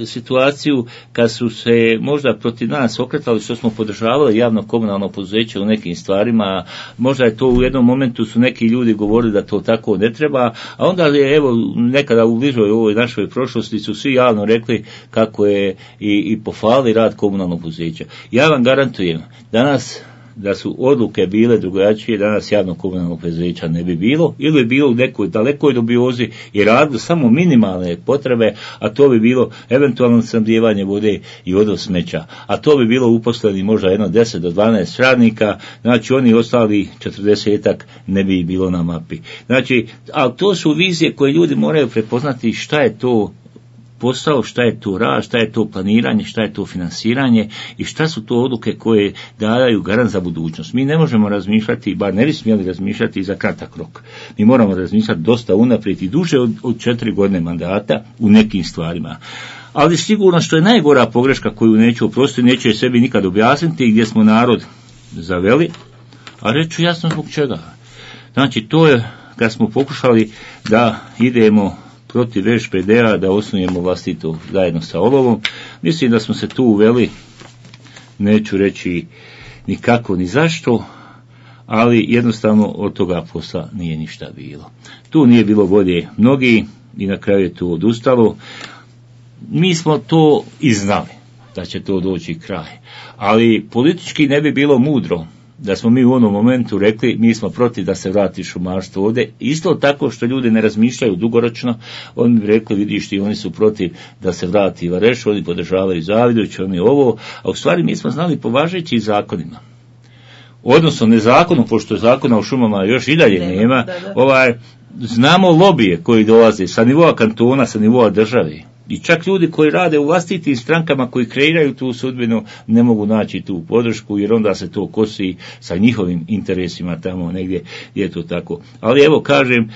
situaciju kad su se možda protiv nas okretali što smo podržavali javno komunalno poduzeće u nekim stvarima, možda je to u jednom momentu su neki ljudi govorili da to tako ne treba, a onda je evo nekada u bližoj ovoj našoj prošlosti su svi javno rekli kako je i pohvalili rad komunalnog poduzeća. Ja vam garantujem, danas da su odluke bile drugačije, danas javno komunalnog poduzeća ne bi bilo, ili bi bilo u nekoj dalekoj dubiozi i radilo samo minimalne potrebe, a to bi bilo eventualno snabdijevanje vode i odvoz smeća. A to bi bilo uposleni možda 10 do 12 radnika, znači oni ostali 40-ak ne bi bilo na mapi. Znači, ali to su vizije koje ljudi moraju prepoznati šta je to posao, šta je to rad, šta je to planiranje, šta je to finansiranje i šta su to odluke koje daju garant za budućnost. Mi ne možemo razmišljati, bar ne bi smjeli razmišljati za kratak rok. Mi moramo razmišljati dosta unaprijed i duže od 4 godine mandata u nekim stvarima. Ali sigurno što je najgora pogreška koju neću oprostiti, neću je sebi nikad objasniti, gdje smo narod zaveli, a reću jasno zbog čega. Znači, to je kad smo pokušali da idemo protiv VŠPD-a, da osnujemo vlastito zajedno sa Olovom. Mislim da smo se tu uveli, neću reći ni kako ni zašto, ali jednostavno od toga posla nije ništa bilo. Tu nije bilo volje mnogi i na kraju je to odustalo. Mi smo to i znali da će to doći kraj, ali politički ne bi bilo mudro da smo mi u onom momentu rekli mi smo protiv da se vrati šumarstvo ovdje. Isto tako što ljudi ne razmišljaju dugoročno, oni bi rekli vidiš ti, oni su protiv da se vrati Vareš, oni podržavaju Zavidović, oni ovo, a u stvari mi smo znali po važećim zakonima. Odnosno ne zakonu, pošto zakona o šumama još i dalje nema, znamo lobije koji dolaze sa nivoa kantona, sa nivoa države. I čak ljudi koji rade u vlastitim strankama koji kreiraju tu sudbinu ne mogu naći tu podršku jer onda se to kosi sa njihovim interesima tamo negdje je to tako. Ali evo kažem,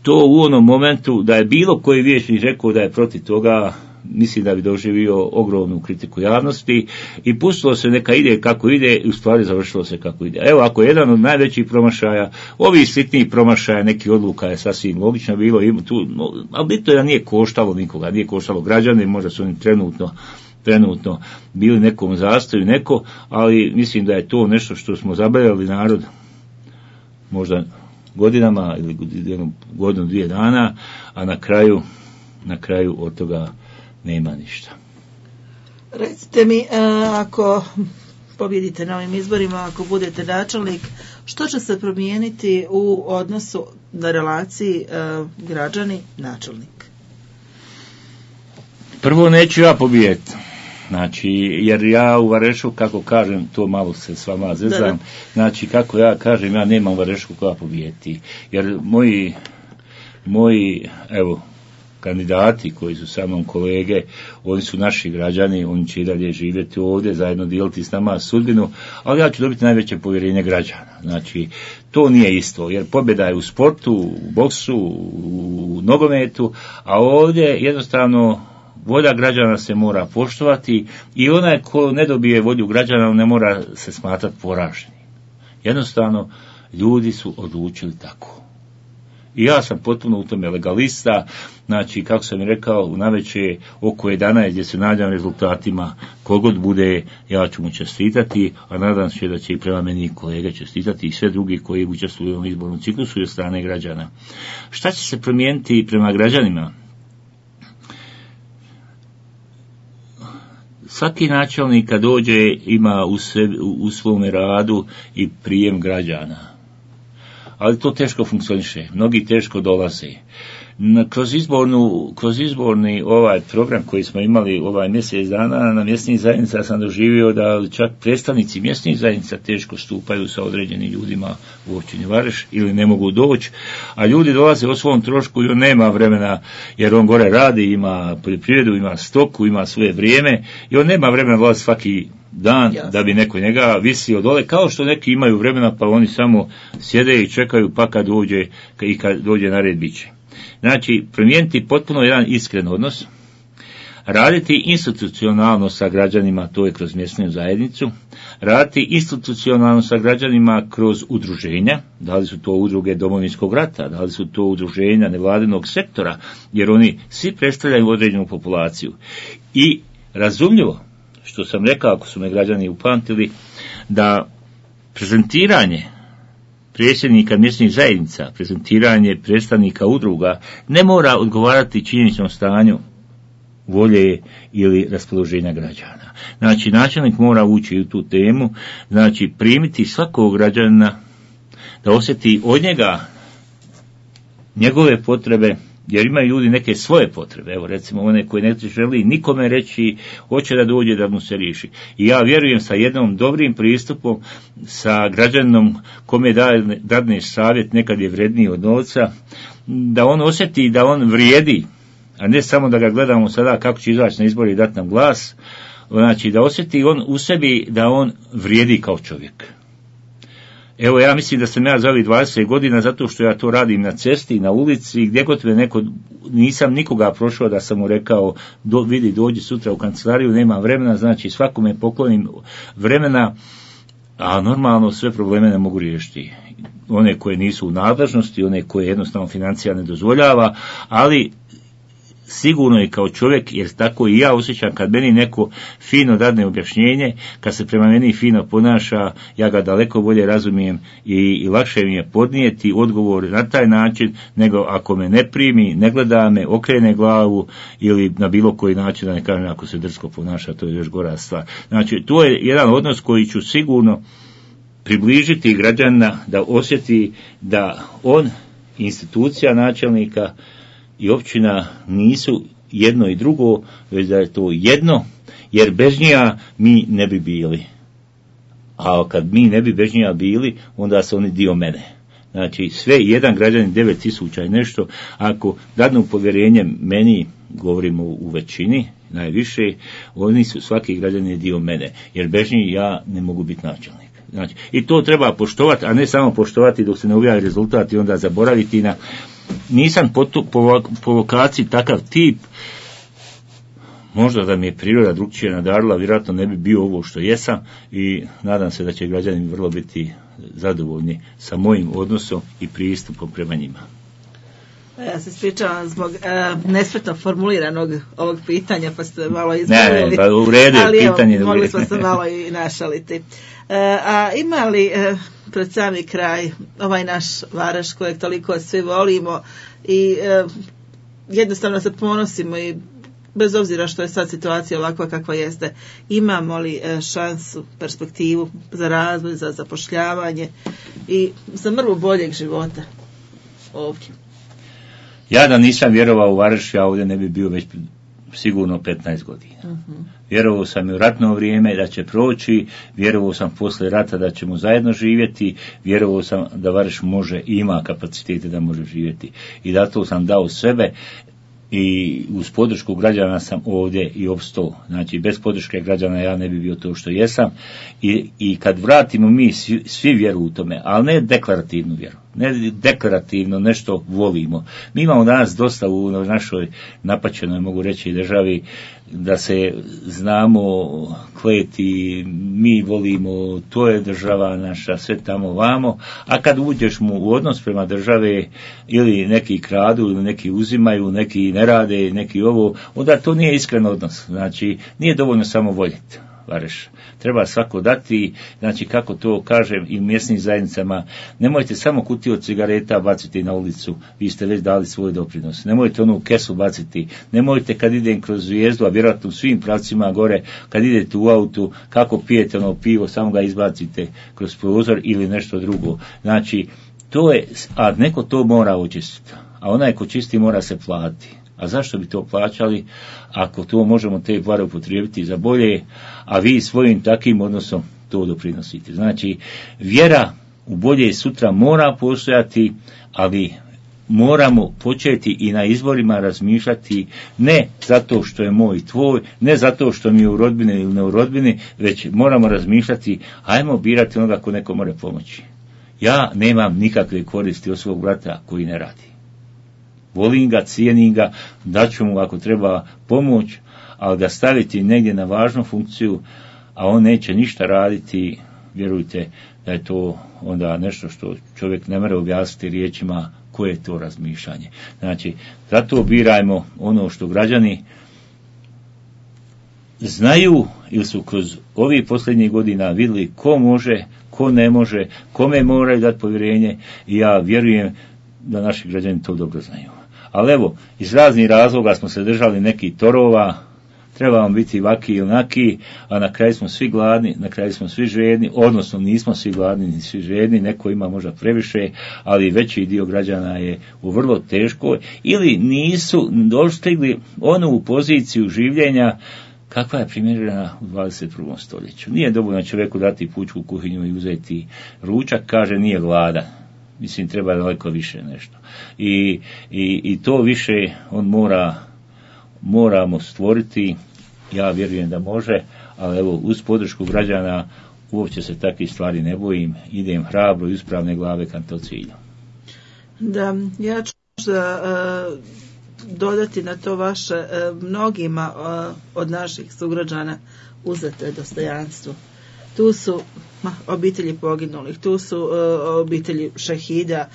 to u onom momentu da je bilo koji vijećnik rekao da je protiv toga, mislim da bi doživio ogromnu kritiku javnosti i pustilo se neka ide kako ide i u stvari završilo se kako ide. Evo, ako je jedan od najvećih promašaja, ovih sitnijih promašaja, neki odluka je sasvim logično bilo, ali bitno je da nije koštalo nikoga, nije koštalo građane, možda su oni trenutno bili nekom zastoju ali mislim da je to nešto što smo zabavljali narod možda godinama ili godinu, 2 dana, a na kraju od toga nema ništa. Recite mi, ako pobjedite na ovim izborima, ako budete načelnik, što će se promijeniti u odnosu na relaciji građani-načelnik? Prvo neću ja pobijediti. Znači, jer ja u Varešu, kako kažem, to malo se s vama zezam, znači, kako ja kažem, ja nemam u Varešku koja pobijeti. Jer moji, evo, kandidati koji su sa mnom kolege, oni su naši građani, oni će i dalje živjeti ovdje, zajedno dijeliti s nama sudbinu, ali ja ću dobiti najveće povjerenje građana. Znači, to nije isto, jer pobjeda je u sportu, u boksu, u nogometu, a ovdje jednostavno volja građana se mora poštovati i onaj ko ne dobije volju građana ne mora se smatrati poraženim. Jednostavno, ljudi su odlučili tako. I ja sam potpuno u tome legalista, znači, kako sam i rekao, u navečer oko 11 gdje se nadam rezultatima, kogod bude, ja ću mu čestitati, a nadam se da će i prema meni kolege čestitati i sve drugi koji učestvuju u ovom izbornom ciklusu i od strane građana. Šta će se promijeniti prema građanima? Svaki načelnik kad dođe ima u svome radu i prijem građana. Ali to teško funkcioniše, mnogi teško dolaze. Kroz izborni ovaj program koji smo imali ovaj mjesec dana na mjesnih zajednica sam doživio da čak predstavnici mjesnih zajednica teško stupaju sa određenim ljudima u općini Vareš ili ne mogu doći, a ljudi dolaze o svom trošku i on nema vremena jer on gore radi, ima poljoprivredu, ima stoku, ima svoje vrijeme i on nema vremena dolaziti svaki dan da bi neko njega visio dole, kao što neki imaju vremena pa oni samo sjede i čekaju pa kad dođe na red bit će. Znači, promijeniti potpuno jedan iskren odnos, raditi institucionalno sa građanima, to je kroz mjesnu zajednicu, raditi institucionalno sa građanima kroz udruženja, da li su to udruge Domovinskog rata, da li su to udruženja nevladinog sektora, jer oni svi predstavljaju određenu populaciju. I razumljivo, što sam rekao, ako su me građani upamtili, da prezentiranje predsjednika mjesnih zajednica, prezentiranje predstavnika udruga ne mora odgovarati činjeničnom stanju volje ili raspoloženja građana. Znači, načelnik mora ući u tu temu, znači primiti svakog građana da osjeti od njega njegove potrebe, jer imaju ljudi neke svoje potrebe, evo recimo one koje ne želi nikome reći, hoće da dođe da mu se riješi. I ja vjerujem sa jednom dobrim pristupom, sa građanom kome dadne savjet, nekad je vredniji od novca, da on osjeti da on vrijedi, a ne samo da ga gledamo sada kako će izaći na izbore i dati nam glas, znači da osjeti on u sebi da on vrijedi kao čovjek. Evo, ja mislim da sam ja za ovih 20 godina, zato što ja to radim na cesti, na ulici, gdje god me neko, nisam nikoga prošao da sam mu rekao, vidi, dođi sutra u kancelariju, nema vremena, znači svakome poklonim vremena, a normalno sve probleme ne mogu riješiti. One koje nisu u nadležnosti, one koje jednostavno financija ne dozvoljava, ali sigurno je kao čovjek, jer tako i ja osjećam kad meni neko fino dadne objašnjenje, kad se prema meni fino ponaša, ja ga daleko bolje razumijem i lakše mi je podnijeti odgovor na taj način, nego ako me ne primi, ne gleda me, okrene glavu ili na bilo koji način, da ne kažem ako se drsko ponaša, to je još gora stvar. Znači, to je jedan odnos koji ću sigurno približiti građana da osjeti da on, institucija načelnika i općina nisu jedno i drugo, već da je to jedno, jer bez njega mi ne bi bili. A kad mi ne bi bez njega bili, onda su oni dio mene. Znači, sve jedan građanin 9.000 i nešto, ako dadnu povjerenje meni, govorimo u većini, najviše, oni su, svaki građanin je dio mene, jer bez njih ja ne mogu biti načelnik. Znači, i to treba poštovati, a ne samo poštovati dok se ne objavi rezultat i onda zaboraviti na. Nisam po vokaciji takav tip, možda da mi je priroda drugčije nadarila, vjerojatno ne bi bio ovo što jesam i nadam se da će građani vrlo biti zadovoljni sa mojim odnosom i pristupom prema njima. Ja se ispričavam zbog nespretno formuliranog ovog pitanja, pa ste malo izgledali. Ne, pa u redu je pitanje. Ali mogli smo se malo i našaliti. A ima li pred sami kraj ovaj naš Varaš kojeg toliko svi volimo i jednostavno se ponosimo i bez obzira što je sad situacija ovakva kakva jeste, imamo li šansu, perspektivu za razvoj, za zapošljavanje i za mrvu boljeg života ovdje? Ja da nisam vjerovao u Varaš, ja ovdje ne bi bio već sigurno 15 godina. Vjerovao sam i u ratno vrijeme da će proći, vjerovao sam poslije rata da ćemo zajedno živjeti, vjerovao sam da Varaš može i ima kapacitete da može živjeti. I zato sam dao sebe i uz podršku građana sam ovdje i opstao. Znači, bez podrške građana ja ne bi bio to što jesam. I kad vratimo mi svi vjeru u tome, ali ne deklarativnu vjeru. Ne deklarativno nešto volimo. Mi imamo danas dosta u našoj napaćenoj, mogu reći, državi da se znamo kleti, mi volimo, to je država naša, sve tamo vamo, a kad uđeš mu u odnos prema države, ili neki kradu, ili neki uzimaju, neki ne rade, neki ovo, onda to nije iskren odnos. Znači, nije dovoljno samo voljeti Vareš. Treba svako dati, znači kako to kažem i mjesnim zajednicama, nemojte samo kutiju od cigareta baciti na ulicu, vi ste već dali svoj doprinos. Nemojte onu kesu baciti, nemojte kad idem kroz Zvijezdu, a vjerojatno u svim pravcima gore, kad idete u autu, kako pijete ono pivo, samo ga izbacite kroz prozor ili nešto drugo. Znači, to je, a neko to mora očistiti. a onaj ko čisti mora se platiti. A zašto bi to plaćali ako to možemo te pare upotrijebiti za bolje, a vi svojim takvim odnosom to doprinosite. Znači, vjera u bolje sutra mora postojati, ali moramo početi i na izborima razmišljati ne zato što je moj tvoj, ne zato što mi je u rodbini ili ne u rodbini, već moramo razmišljati, ajmo birati onoga ko neko more pomoći. Ja nemam nikakve koristi od svog brata koji ne radi. Volim ga, cijenim ga, daću mu ako treba pomoć, ali ga staviti negdje na važnu funkciju, a on neće ništa raditi, vjerujte da je to onda nešto što čovjek ne može objasniti riječima koje je to razmišljanje. Znači, zato birajmo ono što građani znaju ili su kroz ovih posljednjih godina vidjeli ko može, ko ne može, kome moraju dati povjerenje i ja vjerujem da naši građani to dobro znaju. Ali evo, iz raznih razloga smo se držali nekih torova, trebamo biti vaki i onaki, a na kraju smo svi gladni, na kraju smo svi žedni, odnosno nismo svi gladni ni svi žedni, neko ima možda previše, ali veći dio građana je u vrlo teškoj ili nisu dostigli onu poziciju življenja kakva je primjerena u 21. stoljeću. Nije dovoljno čovjeku dati pučku kuhinju i uzeti ručak, kaže nije glada. Mislim, treba daleko više nešto. I to više on moramo stvoriti, ja vjerujem da može, ali evo, uz podršku građana uopće se takvih stvari ne bojim, idem hrabro i uspravne glave ka to cilju. Da, ja ću dodati na to vaše, mnogima od naših sugrađana uzeto je dostojanstvo. Tu su obitelji poginulih, tu su obitelji šehida,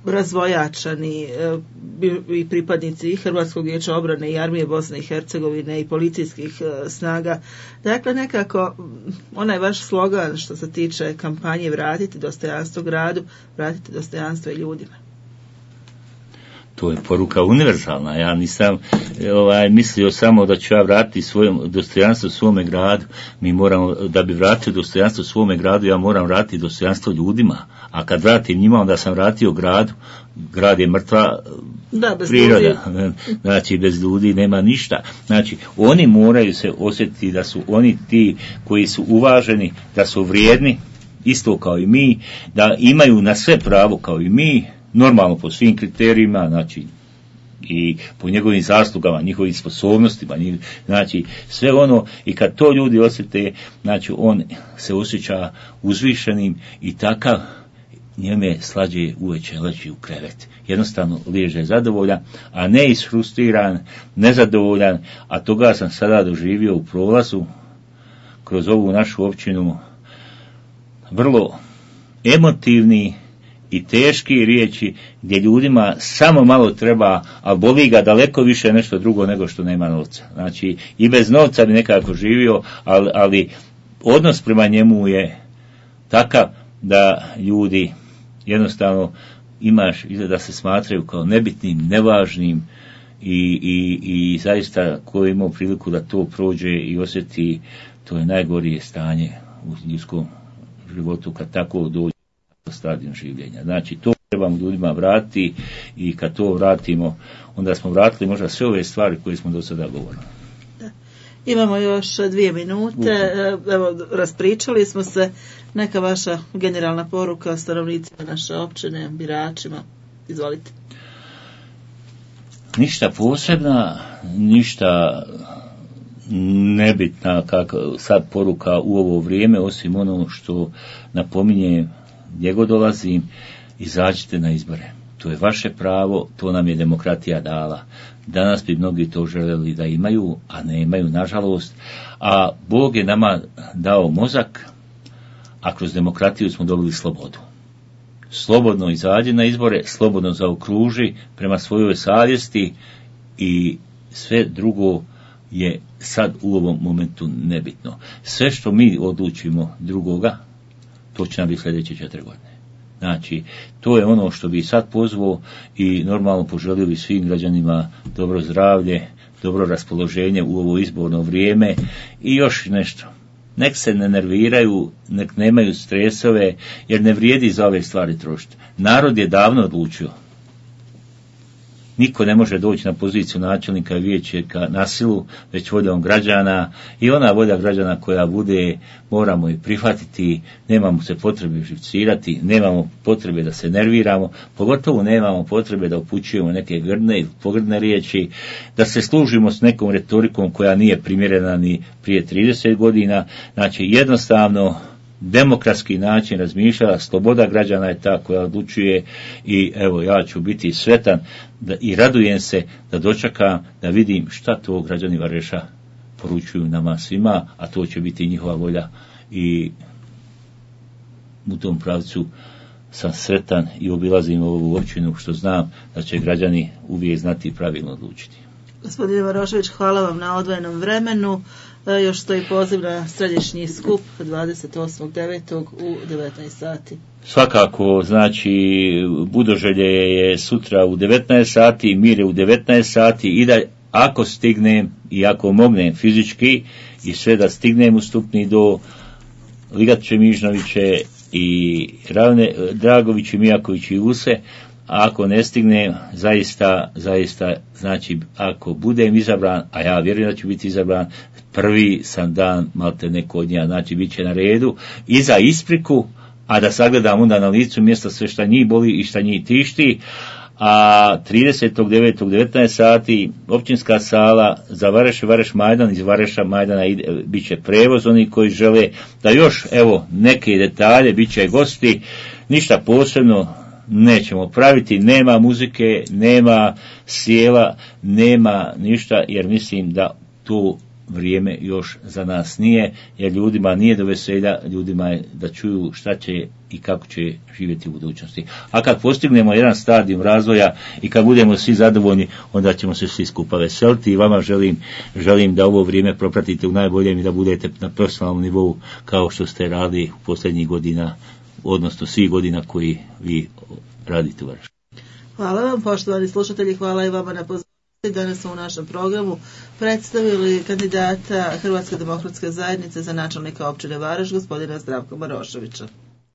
razvojačani i pripadnici i Hrvatskog vijeća obrane i armije Bosne i Hercegovine i policijskih snaga. Dakle, nekako onaj vaš slogan što se tiče kampanje vratiti dostojanstvo gradu, vratiti dostojanstvo i ljudima. To je poruka univerzalna. Ja nisam mislio samo da ću ja vratiti dostojanstvo svome gradu. Mi moramo, da bi vratio dostojanstvo svome gradu, ja moram vratiti dostojanstvo ljudima. A kad vratim njima, onda sam vratio gradu. Grad je mrtva priroda. Znači, bez ljudi nema ništa. Znači, oni moraju se osjetiti da su oni ti koji su uvaženi, da su vrijedni, isto kao i mi, da imaju na sve pravo kao i mi, normalno po svim kriterijima, znači i po njegovim zaslugama, njihovim sposobnostima, znači sve ono, i kad to ljudi osjete, znači on se osjeća uzvišenim i takav njeme slađe uveče leći u krevet. Jednostavno liježe zadovoljan, a ne isfrustriran, nezadovoljan, a toga sam sada doživio u prolazu kroz ovu našu općinu, vrlo emotivni i teški riječi gdje ljudima samo malo treba, a boli ga daleko više nešto drugo nego što nema novca. Znači, i bez novca bi nekako živio, ali odnos prema njemu je takav da ljudi jednostavno imaš da se smatraju kao nebitnim, nevažnim i zaista ko je imao priliku da to prođe i osjeti, to je najgorije stanje u ljudskom životu kad tako dođe stadion življenja. Znači, to trebamo ljudima vratiti i kad to vratimo, onda smo vratili možda sve ove stvari koje smo do sada govorili. Da. Imamo još 2 minute. Evo, raspričali smo se. Neka vaša generalna poruka stanovnicima naše općine, biračima. Izvolite. Ništa posebna, ništa nebitna kako sad poruka u ovo vrijeme, osim ono što napominje gdje god dolazim, izađite na izbore. To je vaše pravo, to nam je demokratija dala. Danas bi mnogi to željeli da imaju, a ne imaju, nažalost. A Bog je nama dao mozak, a kroz demokratiju smo dobili slobodu. Slobodno izađi na izbore, slobodno zaokruži prema svojoj savjesti i sve drugo je sad u ovom momentu nebitno. Sve što mi odlučimo drugoga, to će nam biti sljedeće 4 godine. Znači, to je ono što bi sad pozvao i normalno poželili svim građanima dobro zdravlje, dobro raspoloženje u ovo izborno vrijeme i još nešto. Nek se ne nerviraju, nek nemaju stresove, jer ne vrijedi za ove stvari trošiti. Narod je davno odlučio. niko ne može doći na poziciju načelnika i vijećnika na silu, već voljom građana, i ona volja građana koja bude, moramo je prihvatiti, nemamo se potrebe živcirati, nemamo potrebe da se nerviramo, pogotovo nemamo potrebe da upućujemo neke grdne ili pogrdne riječi, da se služimo s nekom retorikom koja nije primjerena ni prije 30 godina, znači jednostavno demokratski način razmišljanja, sloboda građana je ta koja odlučuje, i evo ja ću biti sretan i radujem se da dočekam da vidim šta to građani Vareša poručuju nama svima, a to će biti njihova volja, i u tom pravcu sam sretan i obilazim ovu općinu što znam da će građani uvijek znati i pravilno odlučiti. Gospodine Marošević, hvala vam na odvojenom vremenu. Još stoji poziv na središnji skup 28.9. u 19 sati. Svakako, znači, Budoželje je sutra u 19 sati, Mir je u 19 sati, i da ako stignem i ako mognem fizički i sve da stignem u Stupni do Ligače Mižnoviće i Dragović i Mijaković i Use, a ako ne stignem, zaista, znači, ako budem izabran, a ja vjerujem da ću biti izabran, prvi sam dan malte neko od njega, znači bit će na redu i za ispriku, a da sagledam onda na licu mjesta sve šta njih boli i šta njih tišti. A 30.9. 19 sati općinska sala za Vareš Majdan, iz Vareša Majdana bit će prevoz, oni koji žele da još evo neke detalje, bit će gosti, ništa posebno nećemo praviti, nema muzike, nema sjela, nema ništa, jer mislim da to vrijeme još za nas nije, jer ljudima nije do veselja, ljudima je da čuju šta će i kako će živjeti u budućnosti. A kad postignemo jedan stadijum razvoja i kad budemo svi zadovoljni, onda ćemo se svi skupa veseliti, i vama želim da ovo vrijeme propratite u najboljem i da budete na profesionalnom nivou kao što ste radili u posljednjih godina, odnosno svih godina koji vi radite u Varešu. Hvala vam, poštovani slušatelji, hvala i vama na pozornosti. Danas smo u našem programu predstavili kandidata Hrvatske demokratske zajednice za načelnika općine Vareš, gospodina Zdravka Maroševića.